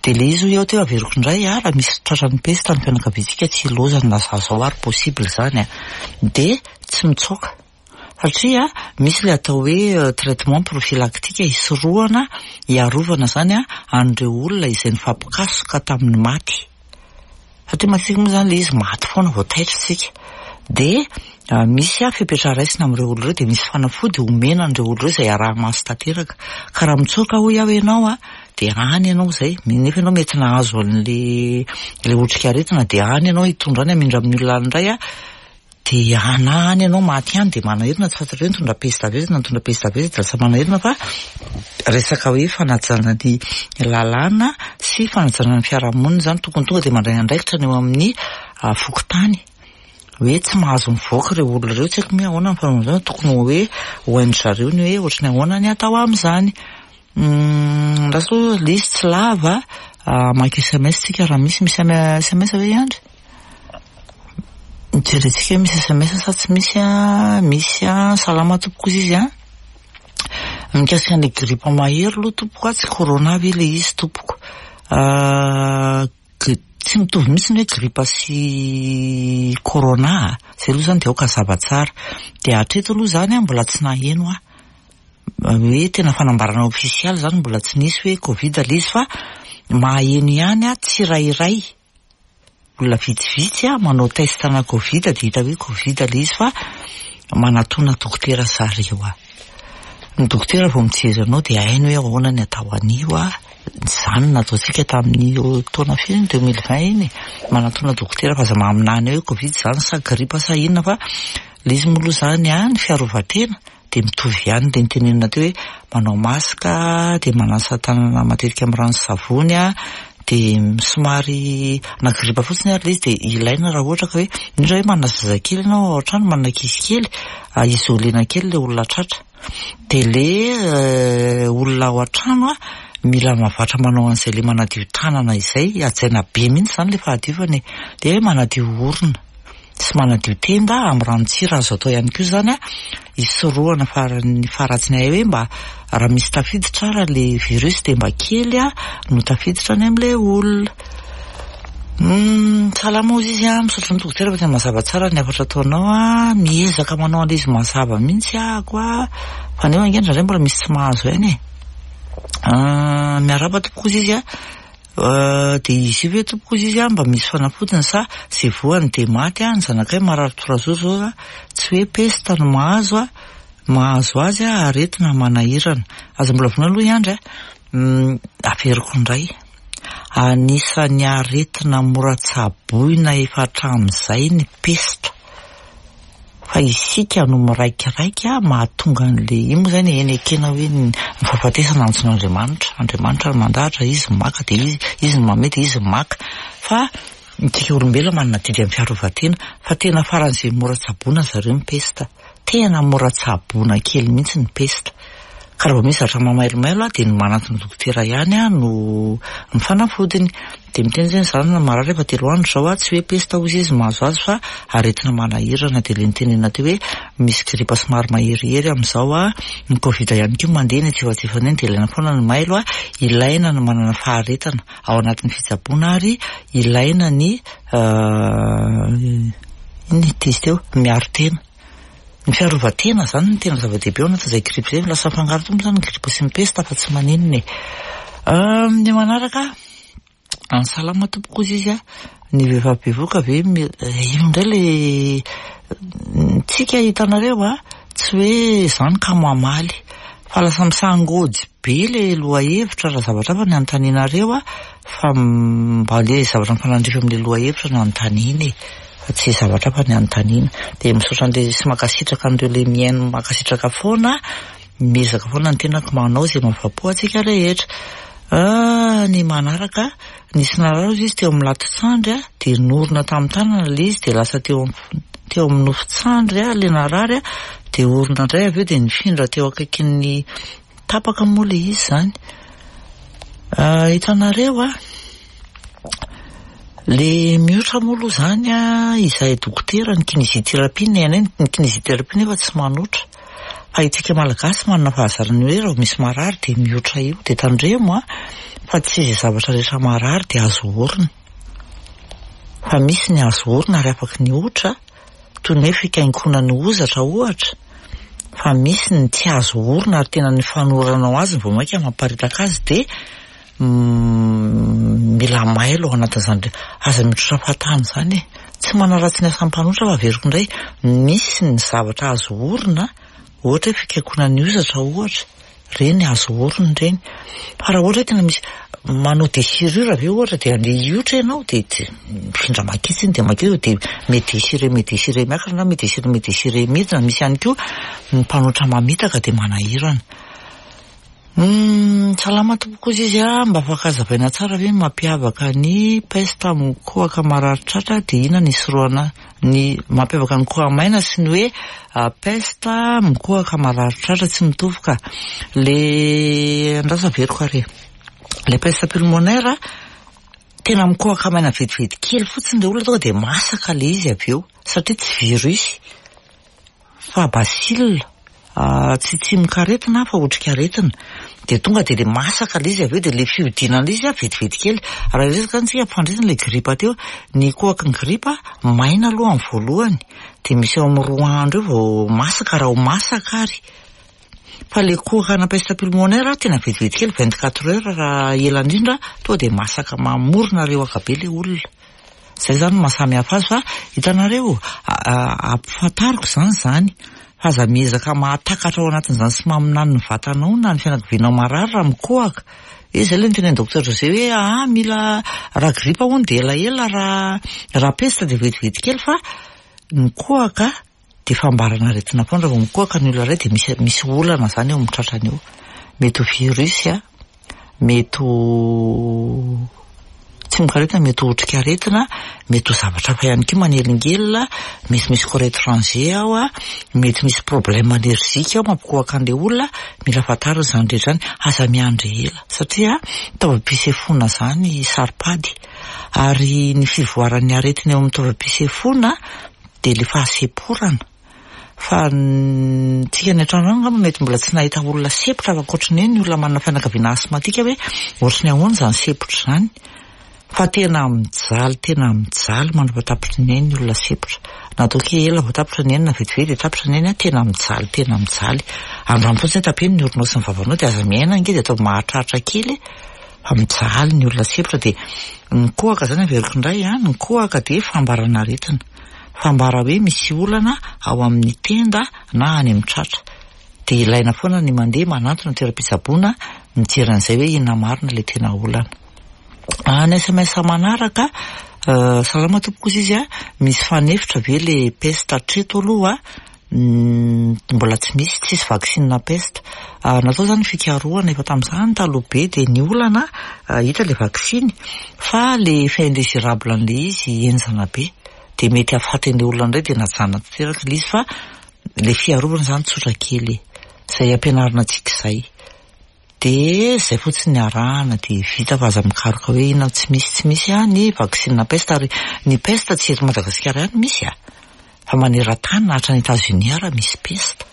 Dia ilay izy hoy aho teo averiko indray raha misy tratran'ny pesta ny fianakaviantsika tsy ilaozana na za zao ary possible izany an. Dia tsy mitsoaka. Satria misy ilay atao hoe traitement prophylactique hisorohana, hiarovana izany an'ireo olona izay nifampikasoka tamin'ny maty. Satria matetika moa izany ilay izy maty foana vao taitra isika. Dia misy fepetra raisina amin'ireo olona ireo dia misy fanafody omena an'ireo olona ireo izay araha-maso tanteraka. Ka raha mitsoaka hoy aho ianao dia any ianao izay, nefa ianao mety nahazo an'ilay ilay otrikaretina dia any ianao hitondra any hamindra amin'ny olona any indray. Dia ana any ianao maty any dia manahirana tsy fantatrao hoe nitondra pesta avy aiza na nitondra pesta avy aiza dia lasa manahirana fa resaka hoe fanajana ny lalàna sy fanajana ny fiarahamonina izany tokony tonga dia mandray andraikitra ny eo amin'ny fokontany hoe tsy mahazo mivoaka ireo olona ireo tsy haiko hoe ahoana ny fanaovana izany tokony hoe ho hain-dry zareo ny hoe ohatry ny ahoana ny atao amin'izany. Lasa aloha ilay izy tsy lava, hamaky sms tsika raha misy, misy sms ve i Andry? Jerentsika hoe misy sms sa tsy misy an, misy an, salama tompoko ozy izy an, mikasika an'ilay grippe mahery aloha tompoko an, tsy corona ve ilay izy tompoko, tsy mitovy mihitsy ny hoe grippe sy corona a, zay aloha zany dia aoka hazava tsara, dia hatreto aloha zany an mbola tsy naheno aho hoe tena fanambarana ofisialy zany mbola tsy nisy hoe covid ilay izy fa maheno ihany aho tsirairay. Olona vitsivitsy manao test ana covid dia hita hoe covid ilay izy fa manatona dokotera zareo a. Ny dokotera vao mijery anao dia hainy hoe ahoana ny atao an'io a. Izany no nataontsika tamin'ny taona firy iny, 2020 iny e. Manatona dokotera fa aza maminany hoe covid izany sa grippe sa inona fa ilay izy moa aloha izany a, ny fiarovan-tena dia mitovy ihany ilay notenenina teo hoe manao masque dia manasa tanana matetika amin'ny rano sy savony dia somary na grippe fotsiny ary ilay izy dia ilaina raha ohatra ka hoe indrindra hoe manana zazakely ianao ao an-trano manana ankizy kely isolena kely ilay olona tratra dia ilay olona ao an-trano mila mahavatra manao an'izay ilay manadio tanana izay hajaina be mihitsy izany ilay fahadiovana e dia manadio orona Tsy manadio tenda amin'ny ranon-tsira azo atao ihany koa izany hisorohana faran'ny faharatsiny hay hoe mba raha misy tafiditra ara le virus dia mba kely no tafiditra any amin'ilay olona. Salama ozy izy a, misaotra ny dokotera fa tena mazava tsara ny hafatra ataonao a, miezaka manao an'ilay izy mazava mihitsy ahako a, fa nefa ange indraindray mbola misy tsy mahazo aina e. Miarahaba tompoko ozy izy a, dia izy io ve tompoko ozy izy a mba misy fanafodiny sa izay voany dia maty a, ny zanakay marary trois jours zao a, tsy hoe peste no mahazo a, mahazo azy a, aretina manahirana. Aza mbola vonoina aloha i Andry a, averiko indray. Anisan'ny aretina mora tsaboina efa hatramin'izay ny pesta. Fa isika no miraikiraika mahatonga an'ilay, io moa izany eny ekena hoe ny fahafatesana antson'Andriamanitra. Andriamanitra no mandahatra, izy no maka dia izy, izy no manome dia izy no maka. Fa isika olombelona manana adidy amin'ny fiarovan-tena. Fa tena faran'izay mora tsaboina zareo ny pesta. Tena mora tsaboina kely mihitsy ny pesta. Ka raha vao misy zavatra mamailomailo dia ny manantona dokotera ihany no ny fanafodiny. Dia miteny izy hoe ny zanany marary efa 3 andro izao, tsy hoe pesta hozy izy mahazo azy fa aretina manahirana. Dia ilay nitenenina teo hoe misy gripa somary maherihery amin'izao, ny covid ihany koa mandeha eny antsefajefany eny dia ilaina foana ny mailo, ilaina ny manana faharetana ao anatin'ny fitsaboana ary ilaina ny inona ity izy teo, miaro tena. Ny fiarovan-tena izany no tena zava-dehibe ao anatin'izay gripa izay. Lasa mifangaro tokoa moa izany ny gripa sy ny pesta fa tsy maninona e. Ny manaraka, salama tompoko hozy izy a, ny vehivavy bevohoka ve io indray ilay tsika hitanareo a, tsy hoe izany ka mamaly fa lasa misangojy be ilay lohahevitra raha zavatra hafa ny anontanianareo a, fa mba ilay zavatra mifanandrify amin'ilay lohahevitra no anontaniana e. Fa tsy zavatra hafa ny anontaniana. Dia misaotra an'ilay sy mankasitraka an'ireo ilay mihaino mankasitraka foana, miezaka foana ny tenako manao izay mahafapo antsika rehetra. Ah, ny manaraka, nisy narary hozy izy teo amin'ny lato-tsandry dia norina tamin'ny tanana ilay izy dia lasa teo amin'ny teo amin'ny nofon-tsandry ilay narary dia orina indray avy eo dia nifindra teo akaikin'ny Tapaka moa ilay izy izany. Hitanareo a, le miotra moa aloha izany a, izahay dokotera ny kinésithérapie ny anay ny kinésithérapie nefa tsy manotra. Fa isika malagasy manana fahazarana hoe raha vao misy marary dia miotra io. Dia tandremo a, fa tsy izay zavatra rehetra marary dia azo orina. Fa misy ny azo orina ary afaky ny otra. toy ny hoe fikainkonan'ny hozatra ohatra, fa misy ny tsy azo orina ary tena ny fanoranao azy no vao mainka mamparitaka azy dia mila mailo ao anatin'izany, aza mitrotra fahatany izany e! Tsy manaratsy ny asan'ny mpanotra fa averiko indray, misy ny zavatra azo orina ohatra hoe fikainkonan'ny hozatra ohatra, Ireny azo orina ireny. Fa raha ohatra hoe tena misy manao déchirure ve ohatra dia andeha hiotra ianao dia mifindra maketsy iny dia makeo dia mi-déchirer mi-déchirer miakatra na mi-déchirer mi-déchirer midina. Misy ihany koa ny mpanotra mamitaka dia manahirana. Humm salama tompoko ozy izy a, mba afaka hazavaina tsara ve ny mampiavaka ny peste mikohaka marary tratra dia inona ny hisorohana Ny mampiavaka ny koha-maina sy ny hoe peste mikohaka marary tratra tsy mitovy ka. Le andraso averiko ary e. Le peste pulmonaire tena mikohaka maina vetivety kely fotsiny le olona tonga dia masaka le izy avy eo satria tsy virus fa bacille. Tsy tsimokaretina fa otrikaretina. Dia tonga dia le masaka le izy avy eo dia le fihodinana izy vetivety kely. Raha hiresaka izany isika ampifandrina ilay gripa teo. Ny kohaky ny gripa maina aloha amin'ny voalohany dia misy eo amin'ny 2 andro eo vao masaka raha ho masaka ary. Fa le kohaka ana peste pulmonaire tena vetivety kely 24 heures raha ela indrindra tonga dia masaka mamorona rehoka be le olona. Zay zany no maha samy hafa azy fa hitanareo ampifantariko izany izany fa aza miezaka mahatakatra ao anatin'izany sy maminany ny vatanao na ny fianakavianao marary raha mikohaka. Hoe zay ilay notenenin'i Docteur José hoe aa mila raha gripa hono dia elaela raha raha peste dia vetivety kely fa mikohaka dia fambarana aretina foana raha vao mikohaka ny olona iray dia misy misy olana izany eo amin'ny tratrany eo. Mety ho virus a, mety ho tsimokaretina, mety ho otrikaretina, mety ho zavatra hafa ihany koa manelingelina, mety misy corps étranger ao a, mety misy problème allergique ao mampikohaka an'ilay olona, mila fantarina izany rehetra izany, aza miandry ela satria taovam-pisefoana izany saro-pady ary ny fivoaran'ny aretina eo amin'ny taovam-pisefoana dia ilay fahasemporana fa tsika any an-trano any angamba mety mbola tsy nahita olona sempotra fa ankoatry ny hoe ny olona manana fianakaviana asthmatique hoe ohatry ny ahoana izany sempotra izany. Fa tena mijaly, tena mijaly mandra-pahatapitry ny ainy ny olona sempotra. Na ataoko hoe ela vao tapitra ny ainy na vetivety dia tapitra ny ainy an, tena mijaly, tena mijaly. Andramo fotsiny hoe tapeno ny oronao sy ny vavanao dia aza miaina ange dia ataovy mahatratra kely e. Fa mijaly ny olona sempotra dia ny kohaka izany averiko indray an, ny kohaka dia fambarana aretina. Fambara hoe misy olana ao amin'ny tenda na any amin'ny tratra. Dia ilaina foana ny mandeha manantona toeram-pitsaboana mijery an'izay hoe inona marina ilay tena olana. Ny sms manaraka, salama tompoko ozy izy a, misy fanefitra ve le peste hatreto aloha mbola tsy misy, tsisy vaccine peste. Natao zany fikarohana efa tamin'izany taloha be dia ny olana hita le vaksiny fa le effet indésirable an'le izy henjana be dia mety hahafaty an'le olona indray dia najanona tanteraka le izy fa le fiarovana zany tsotra kely e, zay ampianarina antsika izay. Dia izay fotsiny ny arahana dia vita fa aza mikaroka hoe inona tsy misy tsy misy a ny vaksiny peste ary ny peste tsy eto Madagasikara ihany misy a fa maneran-tany na hatrany Etats-Unis ara misy peste.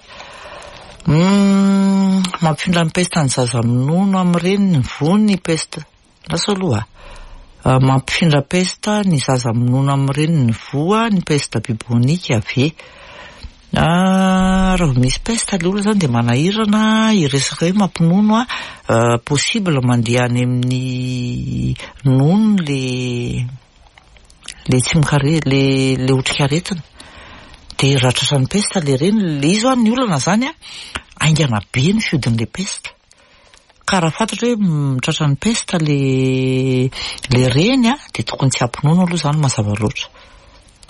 Mampifindra ny peste ny zaza minono amin'ny reniny ny voa ny peste. Lasa aloha a. Mampifindra peste ny zaza minono amin'ny reniny voa ny peste bubonique ve? Raha vao misy peste le olona zany dia manahirana hiresaka hoe mampinono a, possible mandeha any amin'ny nono le le tsimokare le le otrikaretina. Dia raha tratran'ny peste le reny, le izy ho'a ny olana zany a, haingana be ny fihodin'le peste. Ka raha fantatra hoe tratran'ny peste le le reny a, dia tokony tsy hampinono aloha izany mazava loatra.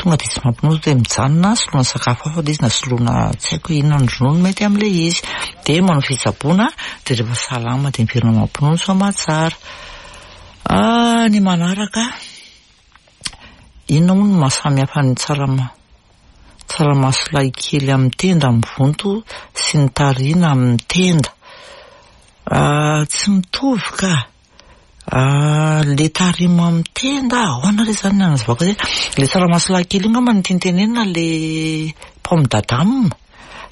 Tonga dia tsy mampinono dia mijanona soloina sakafo hafa ilay izy na soloina tsy haiko hoe inona ny ronono mety amin'ilay izy. Dia manao fitsaboana dia rehefa salama dia miverina mampinono soamatsara. Ny manaraka, inona moa no maha samy hafa ny tsarama- tsaramaso lahy kely amin'ny tenda mivonto sy ny tarihina amin'ny tenda? Tsy mitovy ka. Le tarimo amin'ny tenda, ahoana re izany ny hanazavako azy e? Le tsaramaso lahy kely io angamba no tiany tenenina le pomme d'Adam.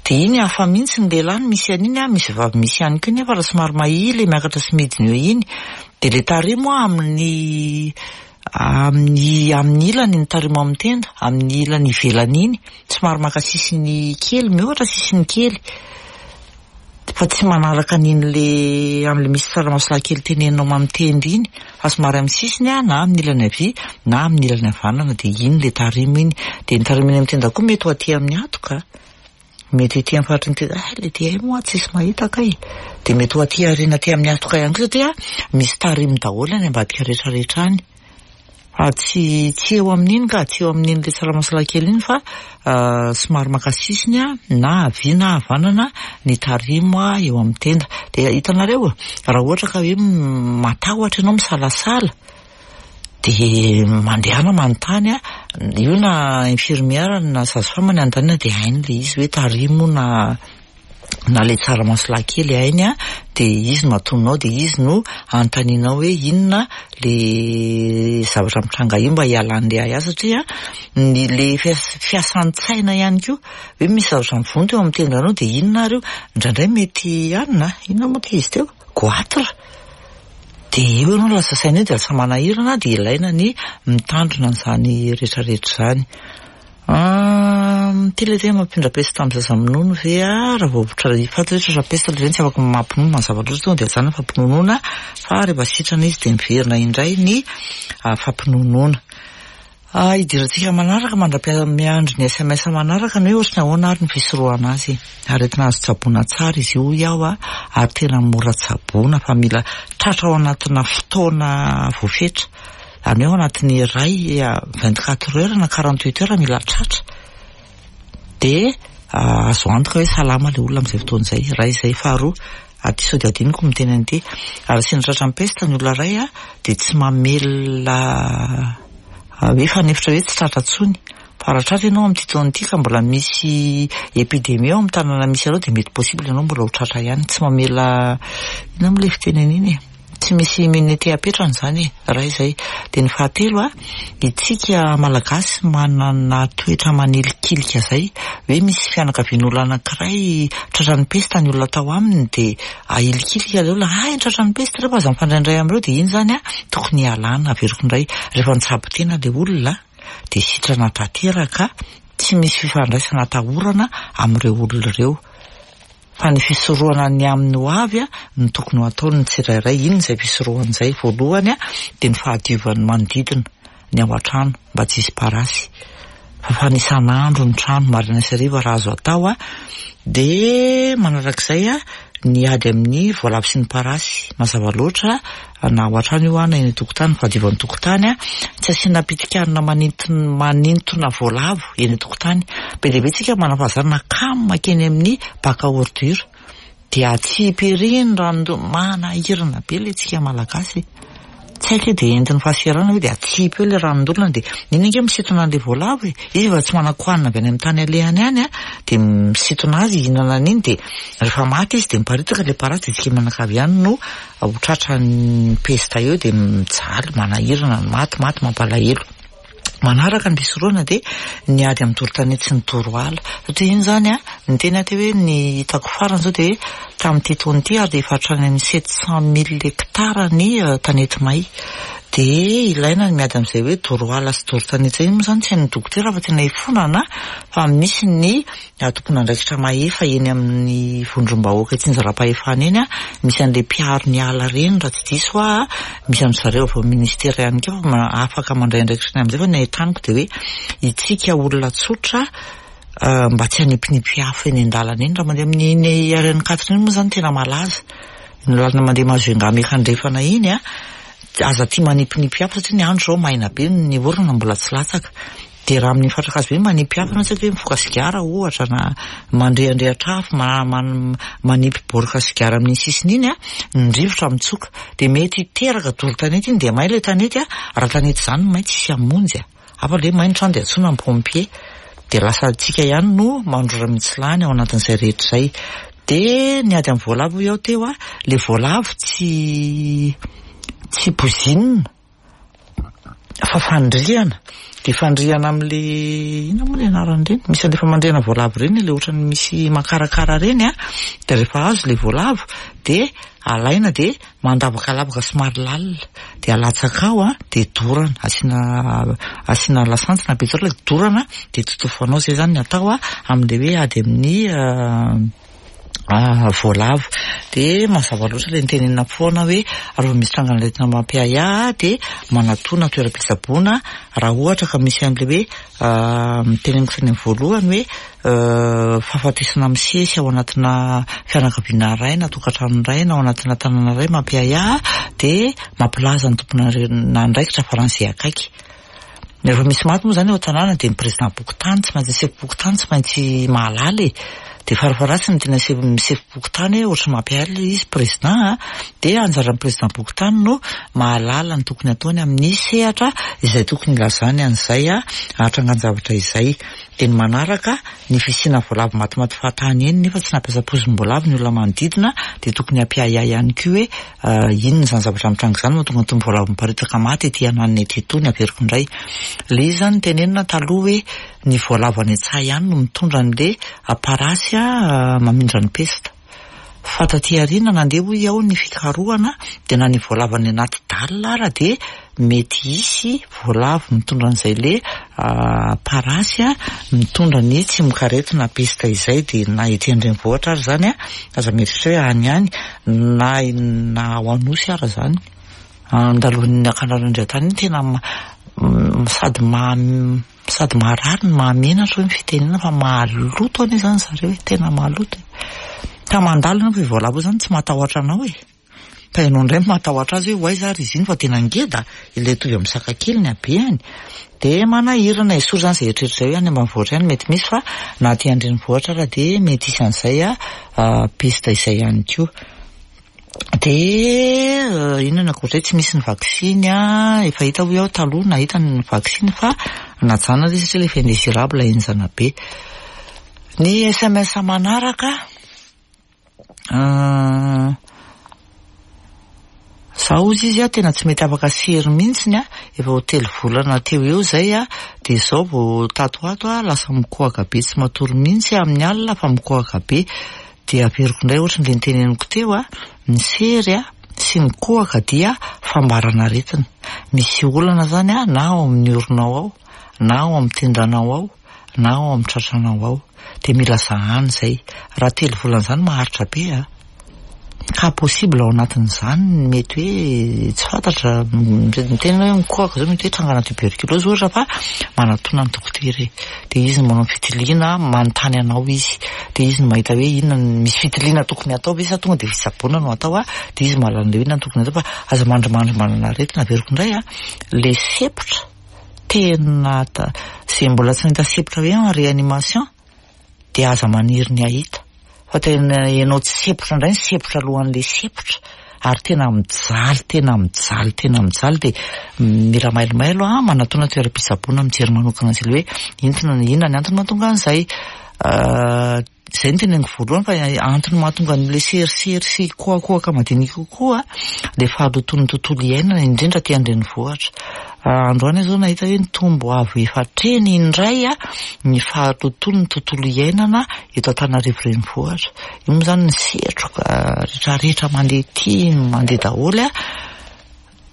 Dia iny hafa mihitsy ny lehilahy no misy an'iny an, misy vavy misy ihany koa nefa raha somary mahia le miakatra sy midina eo iny. Dia le tarimo an amin'ny amin'ny amin'ny ilany ny tarimo amin'ny tenda, amin'ny ilany ivelany iny, somary maka sisiny kely, mihoatra sisiny kely. Fa tsy manaraka an'iny le amin'le misy tsaramaso lahy kely teneninao mamitenda iny fa somary amin'ny sisiny an, na amin'ny ilany havia na amin'ny ilany havanana dia iny le tarimo iny. Dia ny tarimo eny amin'ny tenda koa mety ho aty amin'ny hatoka, mety ety amin'ny faritry ny tenda, hay le ty hay moa tsisy mahita kay. Dia mety ho aty aoriana aty amin'ny hatoka ihany koa satria misy tarimo daholo any ambadika rehetra rehetra any. Fa tsy tsy eo amin'iny ka, tsy eo amin'iny le tsaramaso lahy kely iny fa somary maka sisiny na havia na havanana ny tarimo eo amin'ny tenda. Dia hitanareo, raha ohatra ka hoe matahotra ianao misalasala dia mandehana manontany, io na infirmière na sage femme ny anontaniana dia hainy ilay izy hoe tarimo na na ilay tsaramaso lahy kely hainy an, dia izy no atononao dia izy no anontanianao hoe inona le zavatra mitranga io mba hialan'ilay ahiahy satria ny le fiasan-tsaina ihany koa hoe misy zavatra mivonto eo amin'ny tendanao dia inona ary io, indraindray mety anona, inona moa ity izy teo? Goitre, dia eo ianao lasa saina eo dia lasa manahirana dia ilaina ny mitandrina an'izany rehetrarehetra izany. Ity ilay tena mampindra peste amin'ny zaza minono ve a? Raha vao fantatra hoe tratra peste ilay reny tsy afaka mampinono mazava loatra tonga dia ajanona ny fampinonoana fa rehefa sitrana izy dia miverina indray ny fampinonoana. Hidirantsika manaraka mandra-miandry ny sms manaraka ny hoe ohatry ny ahoana ary ny fisorohana azy. Aretina azo tsaboina tsara izy io hoy aho ary tena mora tsaboina fa mila tratra ao anatina fotoana voafetra. Izany hoe ao anatin'ny iray 24 heures na 48 heures mila tratra. Dia azo antoka hoe salama ilay olona amin'izay fotoana izay. Iray izay. Faharoa, aty sao dia adinoko miteny an'ity. Raha sendra tratran'ny peste ny olona iray dia tsy mamelona hoe fanefitra hoe tsy tratra intsony. Fa raha tratra ianao amin'ity taona ity ka mbola misy épidémie ao amin'ny tanàna misy anao dia mety possible ianao mbola ho tratra ihany. Tsy mamela, inona moa ilay fitenenana iny e? Tsy misy immunité apetrany izany e, iray izay. Dia ny fahatelo a, itsika Malagasy manana toetra manilikilika izay, hoe misy fianakavian'olona anankiray tratran'ny pesta ny olona tao aminy dia ahilikilika ilay olona, hay tratran'ny pesta ireo fa aza mifandraindray amin'ireo, dia iny izany a, tokony hialana, averiko indray, rehefa nitsabo tena ilay olona dia sitrana tanteraka, tsy misy fifandraisana atahorana amin'ireo olona ireo. Fa ny fisorohana ny amin'ny ho avy no tokony ho ataon'ny tsirairay. Inona izay fisorohana izay? Voalohany dia ny fahadiovan'ny manodidina, ny ao an-trano mba tsy hisy parasy. Fafana isan'andro ny trano, maraina sy hariva raha azo atao. Dia manarak'izay ny ady amin'ny voalavo sy ny parasy. Mazava loatra na ao an-trano io na eny an-tokotany, ny fahadiovan'ny tokotany. Tsy asiana pitikanina manintona voalavo eny an-tokotany. Be dia be tsika manana fahazarana kamo mankeny amin'ny bac à ordure. Dia atsipy ery ny ranon-doha. Manahirana be ilay tsika malagasy e. Tsy haiko hoe dia entin'ny fahaserana ve dia atsipy eo ilay ranon-dolona dia iny ange misintona an'ilay voalavo e. Izy efa tsy manan-kohanina avy any amin'ny tany alehany any an, dia misintona azy hihinana an'iny dia rehefa maty izy dia miparitaka ilay parasy dia tsika mianakavy ihany no ho tratran'ny pesta eo dia mijaly, manahirana, maty, maty, mampalahelo. Manaraka ny fisorohana dia ny ady amin'ny doro tanety sy ny doro ala. Satria iny izany an, ny teny aho teo hoe ny hitako farany izao dia hoe tamin'ity taona ity ary dia efa hatrany amin'ny 700 mille hectares ny tanety may. Dia ilaina ny miady amin'izay hoe doro ala sy doro tanety izay. Iny moa izany tsy hain'ny dokotera fa tena ifonana fa misy ny tompon'andraikitra mahefa eny amin'ny vondrom-bahoaka itsinjaram-pahefana eny, misy an'ilay mpiaro ny ala ireny raha tsy diso aho, misy an-dry zareo avy ao amin'ny ministera ihany koa fa afaka mandray andraikitra ny amin'izay fa ny ahitaniko dia hoe itsika olona tsotra mba tsy hanipinipy afo eny an-dalana eny raha mandeha amin'iny RN 4 iny moa izany tena malaza, ny lalana mandeha Majunga miakandrefana iny an, aza tia manipinipy afo satria ny andro izao maina be, ny orana mbola tsy latsaka. Dia raha amin'ny fatran-kazo be manipy afo ianao, tsy haiko hoe mifoka sigara ohatra na mandrehandrehatra afo, manipy boroka sigara amin'iny sisiny iny an, ny rivotra mitsoka. Dia mety hiteraka doro tanety iny dia may ilay tanety an, raha tanety izany no may tsisy hamonjy an. Hafa ilay hoe may ny trano dia antsoina ny pompier. Dia lasa antsika ihany no mandrora mitsilany ao anatin'izay rehetra izay. Dia ny ady amin'ny voalavo hoy aho teo an, ilay voalavo tsy tsy poizinina. Fa fandrihana, dia fandrihana amin'ilay inona moa ny anaran'ireny? Misy an'ilay famandrihana voalavo ireny ilay ohatran'ny misy makarakara ireny an, dia rehefa azo ilay voalavo dia alaina dia mandavaka lavaka somary lalina dia alatsaka ao an, dia dorana, asiana asiana lasantsy na pétrole dia dorana dia totofanao, izay izany ny atao amin'ilay hoe ady amin'ny voalavo. Dia mazava loatra ilay nitenenina foana hoe raha vao misy trangan'aretina mampiahiahy dia manatona toeram-pitsaboana raha ohatra ka misy an'ilay hoe niteneniko tany amin'ny voalohany hoe fahafatesana misesy ao anatina fianakaviana iray na tokantrano iray na ao anatina tanàna iray mampiahiahy dia mampilaza ny tompon'andraikitra faran'izay akaiky. Rehefa misy maty moa izany ao an-tanàna dia ny président-pokontany tsy maintsy, ny sefom-pokontany tsy maintsy mahalala e. Dia farafaharatsiny ny tena sefo, ny sefom-pokontany hoe ohatran'ny mampiahiahy ilay izy président a, dia anjaran'ny président-pokontany no mahalala ny tokony hataony amin'ny sehatra izay tokony hilazany an'izay hatrangan-javatra izay. Dia ny manaraka, ny fisiana voalavo matimaty fahatany eny nefa tsy nampiasa pozim-boalavo ny olona manodidina dia tokony hampiahiahy ihany koa hoe Inona izany zavatra mitranga izany mahatonga an'itony voalavo miparitaka maty ety ananona ety itony? Averiko indray. Ilay izy izany notenenina taloha hoe ny voalavo any an-tsaha ihany no mitondra an'ilay parasy mamindra ny pesta. Fa taty aoriana nandeha hoy aho ny fikarohana dia na ny voalavo any anaty dalle ara dia mety hisy voalavo mitondra an'izay le parasy mitondra ny tsimokaretina pesta izay dia na ety an-drenivohitra ary izany aza mieritreritra hoe any ihany na na ao Anosy ara izany andalovan'ny Ankanorandriantany iny tena sady maha sady maharary no mahamenatra hoe ny fitenenana fa maloto anie izany zareo e, tena maloto e, ka mandalo nefa io voalavo io izany tsy matahotra anao e. Fa ianao indray no matahotra azy hoe ho aiza ary izy iny fa tena ngeda ilay hitovy amin'ny saka kely ny habehany. Dia manahirana, esory izany izay eritreritra izay hoe any ambanivohitra any mety misy fa na aty an-drenivohitra ara dia mety hisy an'izay peste izay ihany koa. Dia inona ny ankoatr'izay, tsy misy ny vaksiny, efa hita hoy aho taloha nahita ny vaksiny fa najanona ilay izy satria ilay effet indésirable henjana be. Ny sms manaraka. Za hozy izy a tena tsy mety afaka sery mihitsiny a, efa ho telo volana teo eo izay a, dia izao vao tato ho ato a lasa mikohaka be tsy matory mihitsy amin'ny alina fa mikohaka be. Dia averiko indray ohatry ny le niteneniko teo a, ny sery a sy ny kohaka dia fambaran'aretina. Misy olana izany a na ao amin'ny oronao ao, na ao amin'ny tendanao ao, na ao amin'ny tratranao ao. Dia mila zahana izay. Raha telo volana izany maharitra be a. Cas possible ao anatin'izany ny mety hoe tsy fantatra, miteny hoe mikohaka izao mety hoe trangana tuberculose ohatra fa manatona ny dokotera e. Dia izy no manao ny fitiliana, manontany anao izy. Dia izy no mahita hoe inona no misy fitiliana tokony hatao ve sa tonga dia fitsaboana no atao a. Dia izy mahalala an'ilay hoe inona no tokony hatao fa aza mandrimandry manana aretina. Averiko indray a, ilay sepotra tena izay mbola tsy nahita sepotra hoe en réanimation dia aza maniry ny hahita fa tena ianao tsy sepotra indray ny sepotra alohan'ilay sepotra ary tena mijaly tena mijaly tena mijaly dia mila mailomailo a manatona toeram-pitsaboana mijery manokana an'izay hoe inona inona ny antony mahatonga an'izay. Izay no teneniko voalohany fa antony mahatonga an'ilay serisery sy kohakohaka madinika kokoa ilay fahalotoan'ny tontolo iainana indrindra aty an-drenivohitra. Androany aho izao nahita hoe nitombo avo efatra heny indray ny fahalotoan'ny tontolo iainana eto Antananarivo renivohitra. Io moa izany ny setroka rehetrarehetra mandeha aty mandeha daholo.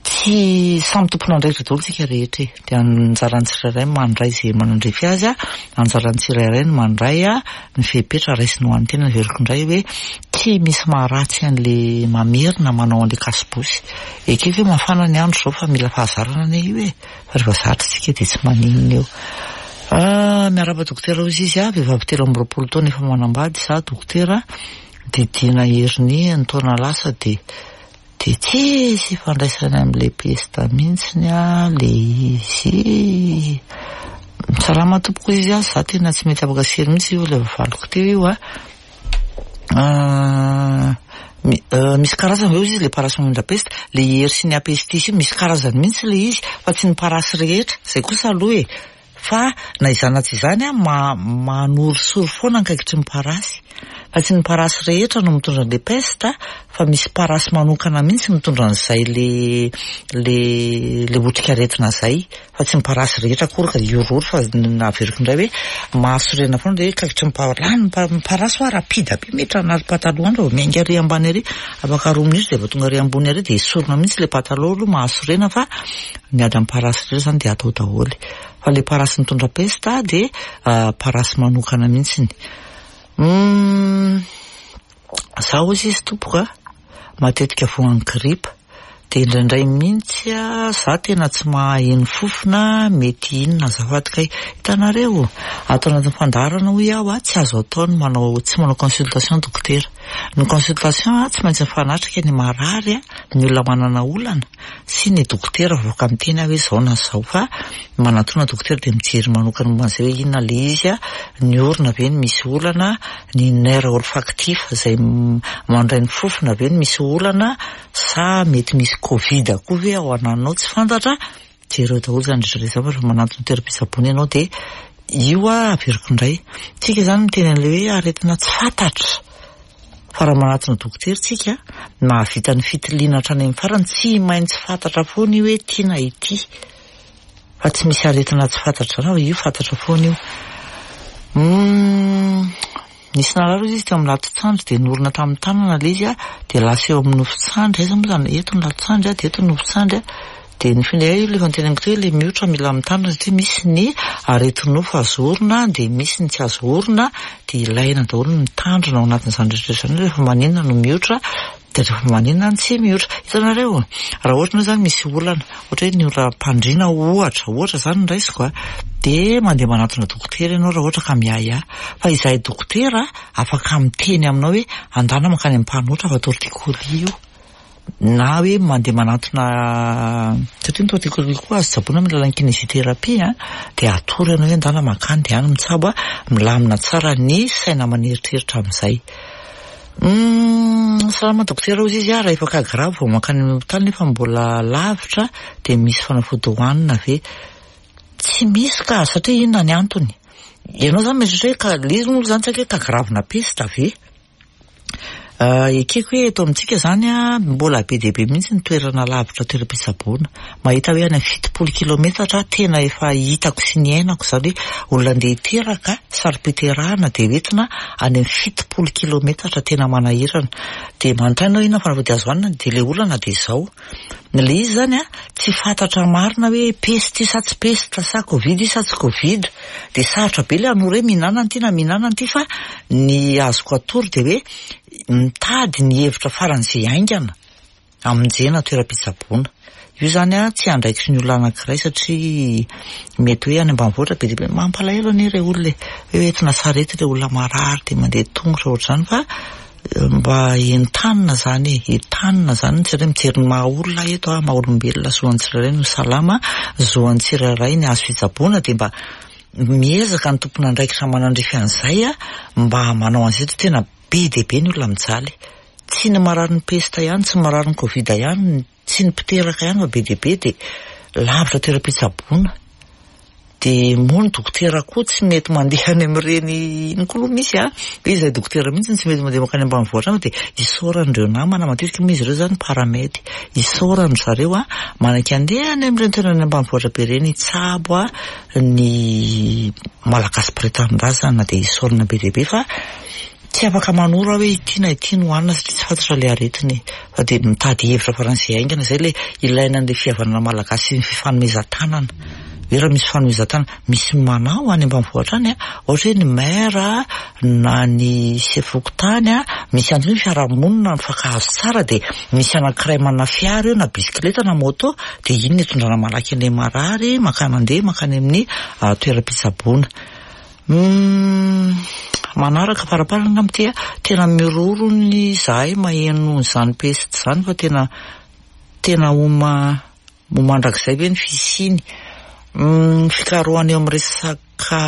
Tsy samy tompon'andraikitra daholo isika rehetra e. Dia anjaran'ny tsirairay ny mandray izay manandrify azy, anjaran'ny tsirairay ny mandray ny fepetra raisiny ho an'ny tenany. Averiko indray hoe tsy misy maharatsy an'ilay mamerina manao an'ilay kasibosy. Ekeko hoe mafana ny andro izao fa mila fahazarana anie io e. Fa rehefa zatra isika dia tsy maninona eo. Miarahaba dokotera hozy izy, vehivavy 23 taona efa manambady, izaho dokotera didiana hernie ny taona lasa dia Dia tsisy ifandraisany amin'ilay pesta mihitsiny ah le izy. Salama tompoko izy ah, za tena tsy mety afaka sery mihitsy io ilay voavaliko teo io ah. Misy karazany ve ozy izy le parasy mamindra pesta? Le Yersinia pestis io misy karazany mihitsy le izy fa tsy ny parasy rehetra, zay kosa aloha e. Fa na izany na tsy izany an, manorisory foana ny kaikitry ny parasy. Fa tsy ny parasy rehetra no mitondra an'ilay peste fa misy parasy manokana mihitsy mitondra an'izay le le le otrikaretina izay. Fa tsy ny parasy rehetra akory ka hihorohoro fa averiko indray hoe mahasorena foana ilay hoe kaikitry ny parasy. Lany ny parasy hoa rapide be miditra anaty pataloha any vao miainga ary ambany ary afaka roa minitra dia efa tonga ary ambony ary dia esorina mihitsy ilay pataloha aloha mahasorena fa Ny ady amin'ny parasy rehetra izany dia atao daholo. Fa ilay parasy mitondra pesta dia parasy manokana mihitsiny. Humm, za hozy izy tompoko a, matetika voan'ny gripa. Dia indraindray mihitsy za tena tsy mahaheno fofona, mety inona azafady kay. Hitanareo, ato anatin'ny fandaharana hoy aho a, tsy azo atao ny manao, tsy manao consultation dokotera. Ny consultation tsy maintsy mifanatrika ny marary, ny olona manana olana. Tsy ny dokotera vao afaka miteny aho hoe izao na izao fa manatona dokotera dia mijery manokana momba an'izay hoe inona ilay izy, ny orona ve no misy olana, ny nerf olfactif izay mandray ny fofona ve no misy olana sa mety misy covid koa ve ao ananao tsy fantatra, jereo daholo izany rehetra rehetra izany fa rehefa manantona toeram-pitsaboana ianao dia io averiko indray, tsika izany miteny an'ilay hoe aretina tsy fantatra. Fa raha manatona dokotera tsika, mahavita ny fitiliana hatrany amin'ny farany, tsy maintsy fantatra foana io hoe ity na ity. Fa tsy misy aretina tsy fantatra izany fa io fantatra foana io. Humm, nisy narary hozy izy teo amin'ny lato-tsandry dia norina tamin'ny tanana ilay izy dia lasa eo amin'ny nofon-tsandry, aiza moa izany, eto ny lato-tsandry dia eto ny nofon-tsandry. Dia ny finday io ilay efa noteneniko teo ilay miotra mila mitandrina satria misy ny areti-nofo azo orina dia misy ny tsy azo orina dia ilaina daholo ny mitandrina ao anatin'izany rehetra rehetra izany rehefa maninona no miotra dia rehefa maninona no tsy miotra. Hitanareo raha ohatra moa izany misy olana ohatra hoe ny oram-pandriana ohatra ohatra izany no raisiko a dia mandeha manatona dokotera ianao raha ohatra ka miahiahy fa izahay dokotera afaka miteny aminao hoe andana mankany amin'ny mpanotra fa torticolis io. na hoe mandeha manantona satria ny torticolis koa azo tsaboina amin'ny alalan'ny kinésithérapie an, dia atoro ianao hoe ndana mankany dia any mitsabo an, milamina tsara ny saina aman'eritreritra amin'izay. Humm salama dokotera hozy izy ah, raha efa cas grave vao mankany amin'ny hopitaly nefa mbola lavitra dia misy fanafody hohanina ve? Tsy misy ka, satria inona ny antony? Ianao izany mieritreritra hoe cas, ilay izy moa izany tsy haiko hoe cas grave-na peste ve? Ekeko hoe eto amintsika izany mbola be dia be mihitsy ny toerana lavitra toeram-pitsaboana. Mahita hoe any amin'ny 70 kilometatra aho tena efa hitako sy niainako izany hoe olona andeha hiteraka, saro-piterahana dia hoentina any amin'ny 70 kilometatra tena manahirana. Dia manontany aho inona ny fanafody azo hanina dia ilay olana dia izao. Ilay izy izany an, tsy fantatra marina hoe peste io sa tsy peste sa covid io sa tsy covid. Dia sarotra be ilay hanoro hoe mihinana an'ity na mihinana an'ity fa ny azoko atoro dia hoe mitady ny hevitra faran'izay haingana hamonjena toeram-pitsaboana. Io izany an, tsy andraikitry ny olona anankiray satria mety hoe any ambanivohitra be dia be. Mampalahelo anie ireo olona e! Hoe entina sarety ireo olona marary dia mandeha tongotra ohatr'izany fa Mba entanina zany e, entanina zany ny tsirairay mijery ny maha olona eto a, maha olombelona zo an'ny tsirairay ny ho salama, zo an'ny tsirairay ny hahazo fitsaboana dia mba miezaka ny tompon'andraikitra manandrify an'izay a, mba manao an'izay satria tena be dia be ny olona mijaly. Tsy ny mararin'ny pesta ihany, tsy ny mararin'ny covid ihany, tsy ny mpiteraka ihany fa be dia be dia lavitra toeram-pitsaboana. Dia moa ny dokotera koa tsy mety mandeha any amin'ireny iny koa aloha misy a, hoe izahay dokotera mihitsy no tsy mety mandeha mankany ambanivohitra any fa dia isaorana ireo namana, matetika moa izy ireo izany paramed, isaorana ry zareo a, manaiky handeha any amin'ireny toerana any ambanivohitra be ireny hitsabo a, ny Malagasy mpiray tanindrazana dia isaorana be dia be fa Tsy afaka manoro aho hoe ity na ity no hanina satria tsy fantatra ilay aretina e. Fa dia mitady hevitra faran'izay haingana izay ilay ilaina an'ilay fihavanana malagasy sy ny fifanomezan-tanana. Hoe raha misy fifanomezan-tanana, misy manao any ambanivohitra any an, ohatra hoe ny maire na ny sefo fokontany an, misy ihany koa ny fiarahamonina mifankahazo tsara dia misy anankiray manana fiara eo na bisikileta na moto dia iny no itondrana malaky an'ilay marary mankany mandeha mankany amin'ny toeram-pitsaboana. Humm manaraka faraparany angamba ity a, tena miroro ny izahay maheno izany peste izany fa tena tena ho ma ho mandrakizay ve ny fisiany? Humm fikarohana eo amin'ny resaka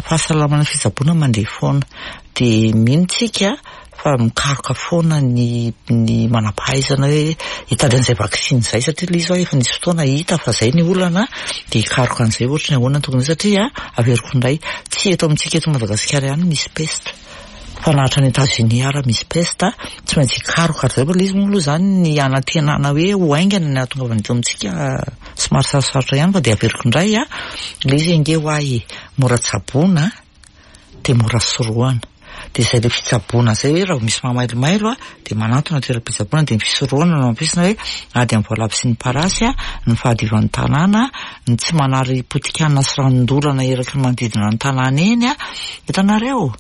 fahasalamana sy fitsaboana mandeha foana dia mino tsika fa mikaroka foana ny ny manam-pahaizana hoe hitady an'izay vaksiny izay satria ilay izy hoa efa nisy fotoana hita fa izay ny olana dia hikaroka an'izay ohatry ny ahoana ny tokony satria averiko indray tsy eto amintsika eto Madagasikara ihany misy peste fa na hatrany Etats-Unis ara misy peste tsy maintsy hikaroka ry zareo fa ilay izy moa aloha izany ny hanantenana hoe ho haingana ny hahatongavany eto amintsika somary sarosarotra ihany fa dia averiko indray ilay izy ange ho ahy mora tsaboina dia mora sorohana. Dia izay ilay fitsaboana izay hoe raha vao misy mamailomailo dia manantona toeram-pitsaboana dia ny fisorohana no ampiasina hoe ady amin'ny voalavo sy ny parasy, ny fahadiovan'ny tanàna, ny tsy manary potikanina sy ranon-dolana eraky ny manodidina ny tanàna eny. Hitanareo?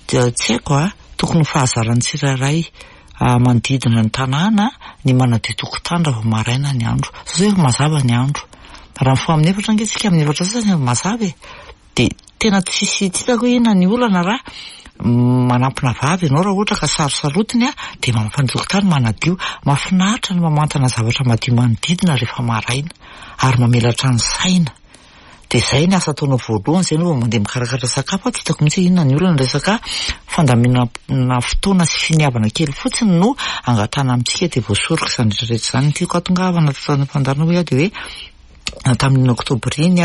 Dia tsy haiko a, tokony ho fahazaran'ny tsirairay manodidina ny tanàna ny manadio tokotany raha vao maraina ny andro. Sao zao efa mazava ny andro. Raha mifoha amin'ny efatra ange isika amin'ny efatra sasany efa mazava e. Dia tena tsisy tsy hitako hoe inona ny olana raha manampina vavy ianao raha ohatra ka sarosarotiny a, dia mamafa ny tokotany manadio. Mahafinaritra ny mamantana zavatra madio manodidina rehefa maraina ary mamelatra ny saina. Dia izay ny asa ataonao voalohany, izay aloha vao mandeha mikarakara sakafo, tsy hitako mihitsy hoe inona ny olana, resaka fandaminana fotoana sy finiavana kely fotsiny no angatahana amintsika dia voasoroka izany rehetra rehetra izany. Ny tiako hahatongavana tato amin'ny fandaharana hoy aho dia hoe Tamin'iny oktobra iny,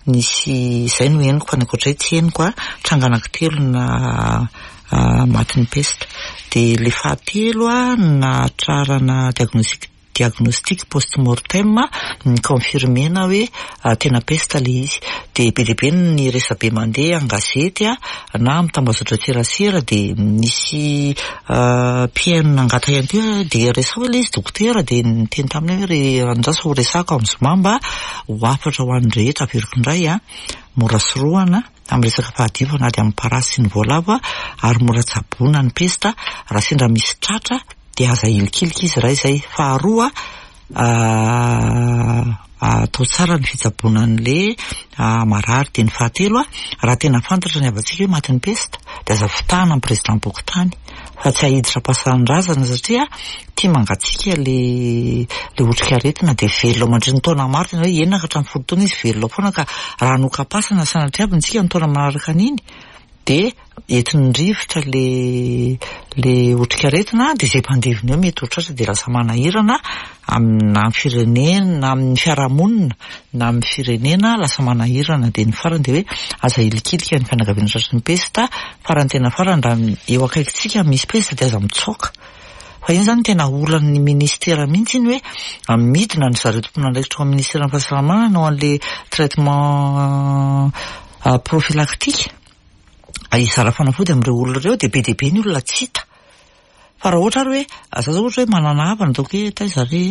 nisy, izay no henoko fa ny ankoatr'izay tsy henoko, tranga anankitelo na matin'ny pesta. Dia ilay fahatelo nahatrarana diagnostic diagnostic post mortem ni-confirmer-na hoe tena pesta ilay izy. Dia be dia be ny resabe mandeha an-gazety na amin'ny tambazotran-tserasera dia nisy mpihaino nangataka ihany koa hoe dia resaho ilay izy dokotera dia niteny taminy aho hoe ry andraso ho resahako amin'ny zoma mba ho hafatra ho an'ny rehetra averiko indray a, mora sorohana amin'ny resaka fahadiovana ady amin'ny parasy sy ny voalavo ary mora tsaboina ny pesta raha sendra misy tratra dia aza ahilikilika izy raha izay faharoa atao tsara ny fitsaboana an'le marary. Dia ny fahatelo, raha tena fantatra ny havantsika hoe matin'ny pesta dia aza fitahana ny président-bokontany fa tsy hahiditra am-pasan-drazana satria tia mangatsiaka le le otrikaretina dia velona ao mandritra ny taona maro, tena hoe enina ka hatramin'ny folo taona izy velona ao foana ka raha hanoka-pasana sanatria avy tsika ny taona manaraka an'iny. Dia entin'ny rivotra le le otrikaretina dia izay mpandevina eo mety ho tratra dia lasa manahirana amin'ny na amin'ny firenena na amin'ny fiarahamonina na amin'ny firenena lasa manahirana. Dia ny farany dia hoe aza ahilikilika ny fianakaviana tratry ny pesta, farany tena farany raha eo akaikintsika misy pesta dia aza mitsoaka. Fa iny izany tena olan'ny ministera mihitsy iny hoe midina ny zareo tompon'andraikitra ao amin'ny ministeran'ny fahasalamana hanao an'ilay traitement prophylactique hizara fanafody amin'ireo olona ireo dia be dia be ny olona tsy hita. Fa raha ohatra ary hoe za zao ohatra hoe manana havana ataoko hoe taiza re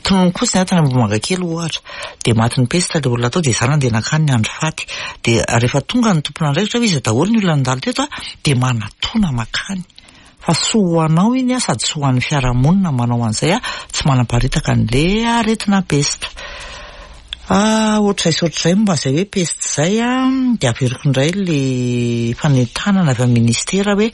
tonony fotsiny aho tany Ambohimangakely ohatra dia matin'ny pesta ilay olona tao dia za nandeha nankany niandry faty dia rehefa tonga ny tompon'andraikitra hoe iza daholo ny olona nandalo teto dia manatona mankany. Fa soa ho anao iny a, sady soa ho an'ny fiarahamonina manao an'izay a, tsy manaparitaka an'le aretina pesta. Ah, ohatr'izay sy ohatr'izay momba izay hoe pesta izay a, dia averiko indray le fanentanana avy amin'ny ministera hoe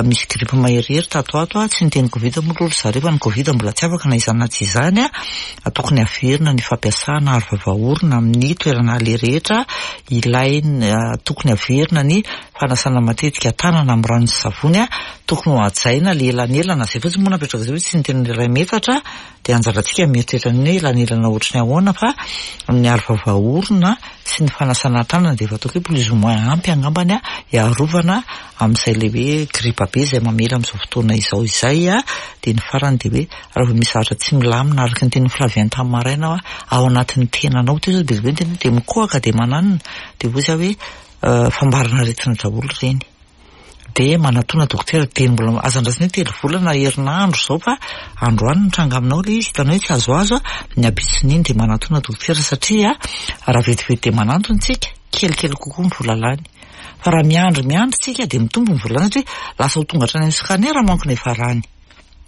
misy grippe maherihery tato ho ato a, tsy niteny covid moa aloha ry zareo fa ny covid mbola tsy afaka na izany na tsy izany a, tokony averina ny fampiasana aro vava orona amin'ny toerana aleha rehetra, ilaina, tokony averina ny Fanasana matetika tanana amin'ny rano sy savony, tokony ho hajaina le elanelana, zay fotsiny moa napetraka zay hoe tsy niteny ny iray metatra, dia anjarantsika mieritreritra ny hoe elanelana ohatry ny ahoana fa ny aro vava orona sy ny fanasana tanana dia efa ataoko hoe plus ou moins ampy angambany hiarovana amin'izay le hoe gripa be izay mamely amin'izao fotoana izao izay, dia ny farany dia hoe raha vao misy zavatra tsy milamina araka ny tenin'i Flavien tamin'ny maraina ao anatin'ny tenanao, teo zao be dia be ny tena hoe dia mikohaka dia mananona, dia hoy za hoe Fambarana aretina daholo ireny. Dia manatona dokotera dieny mbola aza andrasana hoe telo volana herinandro izao fa androany nitranga aminao ilay izy hitanao hoe tsy azoazo a, ny ampitson'iny dia manatona dokotera satria raha vetivety dia manantona isika kelikely kokoa ny vola lany. Fa raha miandry miandry isika dia mitombo ny vola lany satria lasa ho tonga hatrany amin'ny scanner manko ny hiafarany.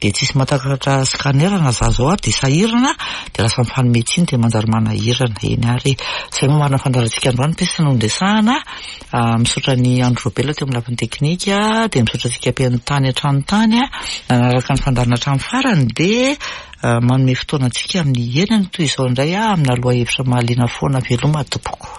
Dia tsisy mahatakatra scanner na za zao ary dia sahirana dia lasa mifanome tsiny dia manjary manahirana. Eny ary e. Izay moa marina fandaharantsika androany peste no niresahana. Misaotra an'i Andry Robela teo amin'ny lafiny teknika dia misaotra antsika mpihaino tany an-trano tany nanaraka ny fandaharana hatramin'ny farany dia manome fotoana antsika amin'ny enina toy izao indray amina lohahevitra mahaliana foana. Veloma tompoko.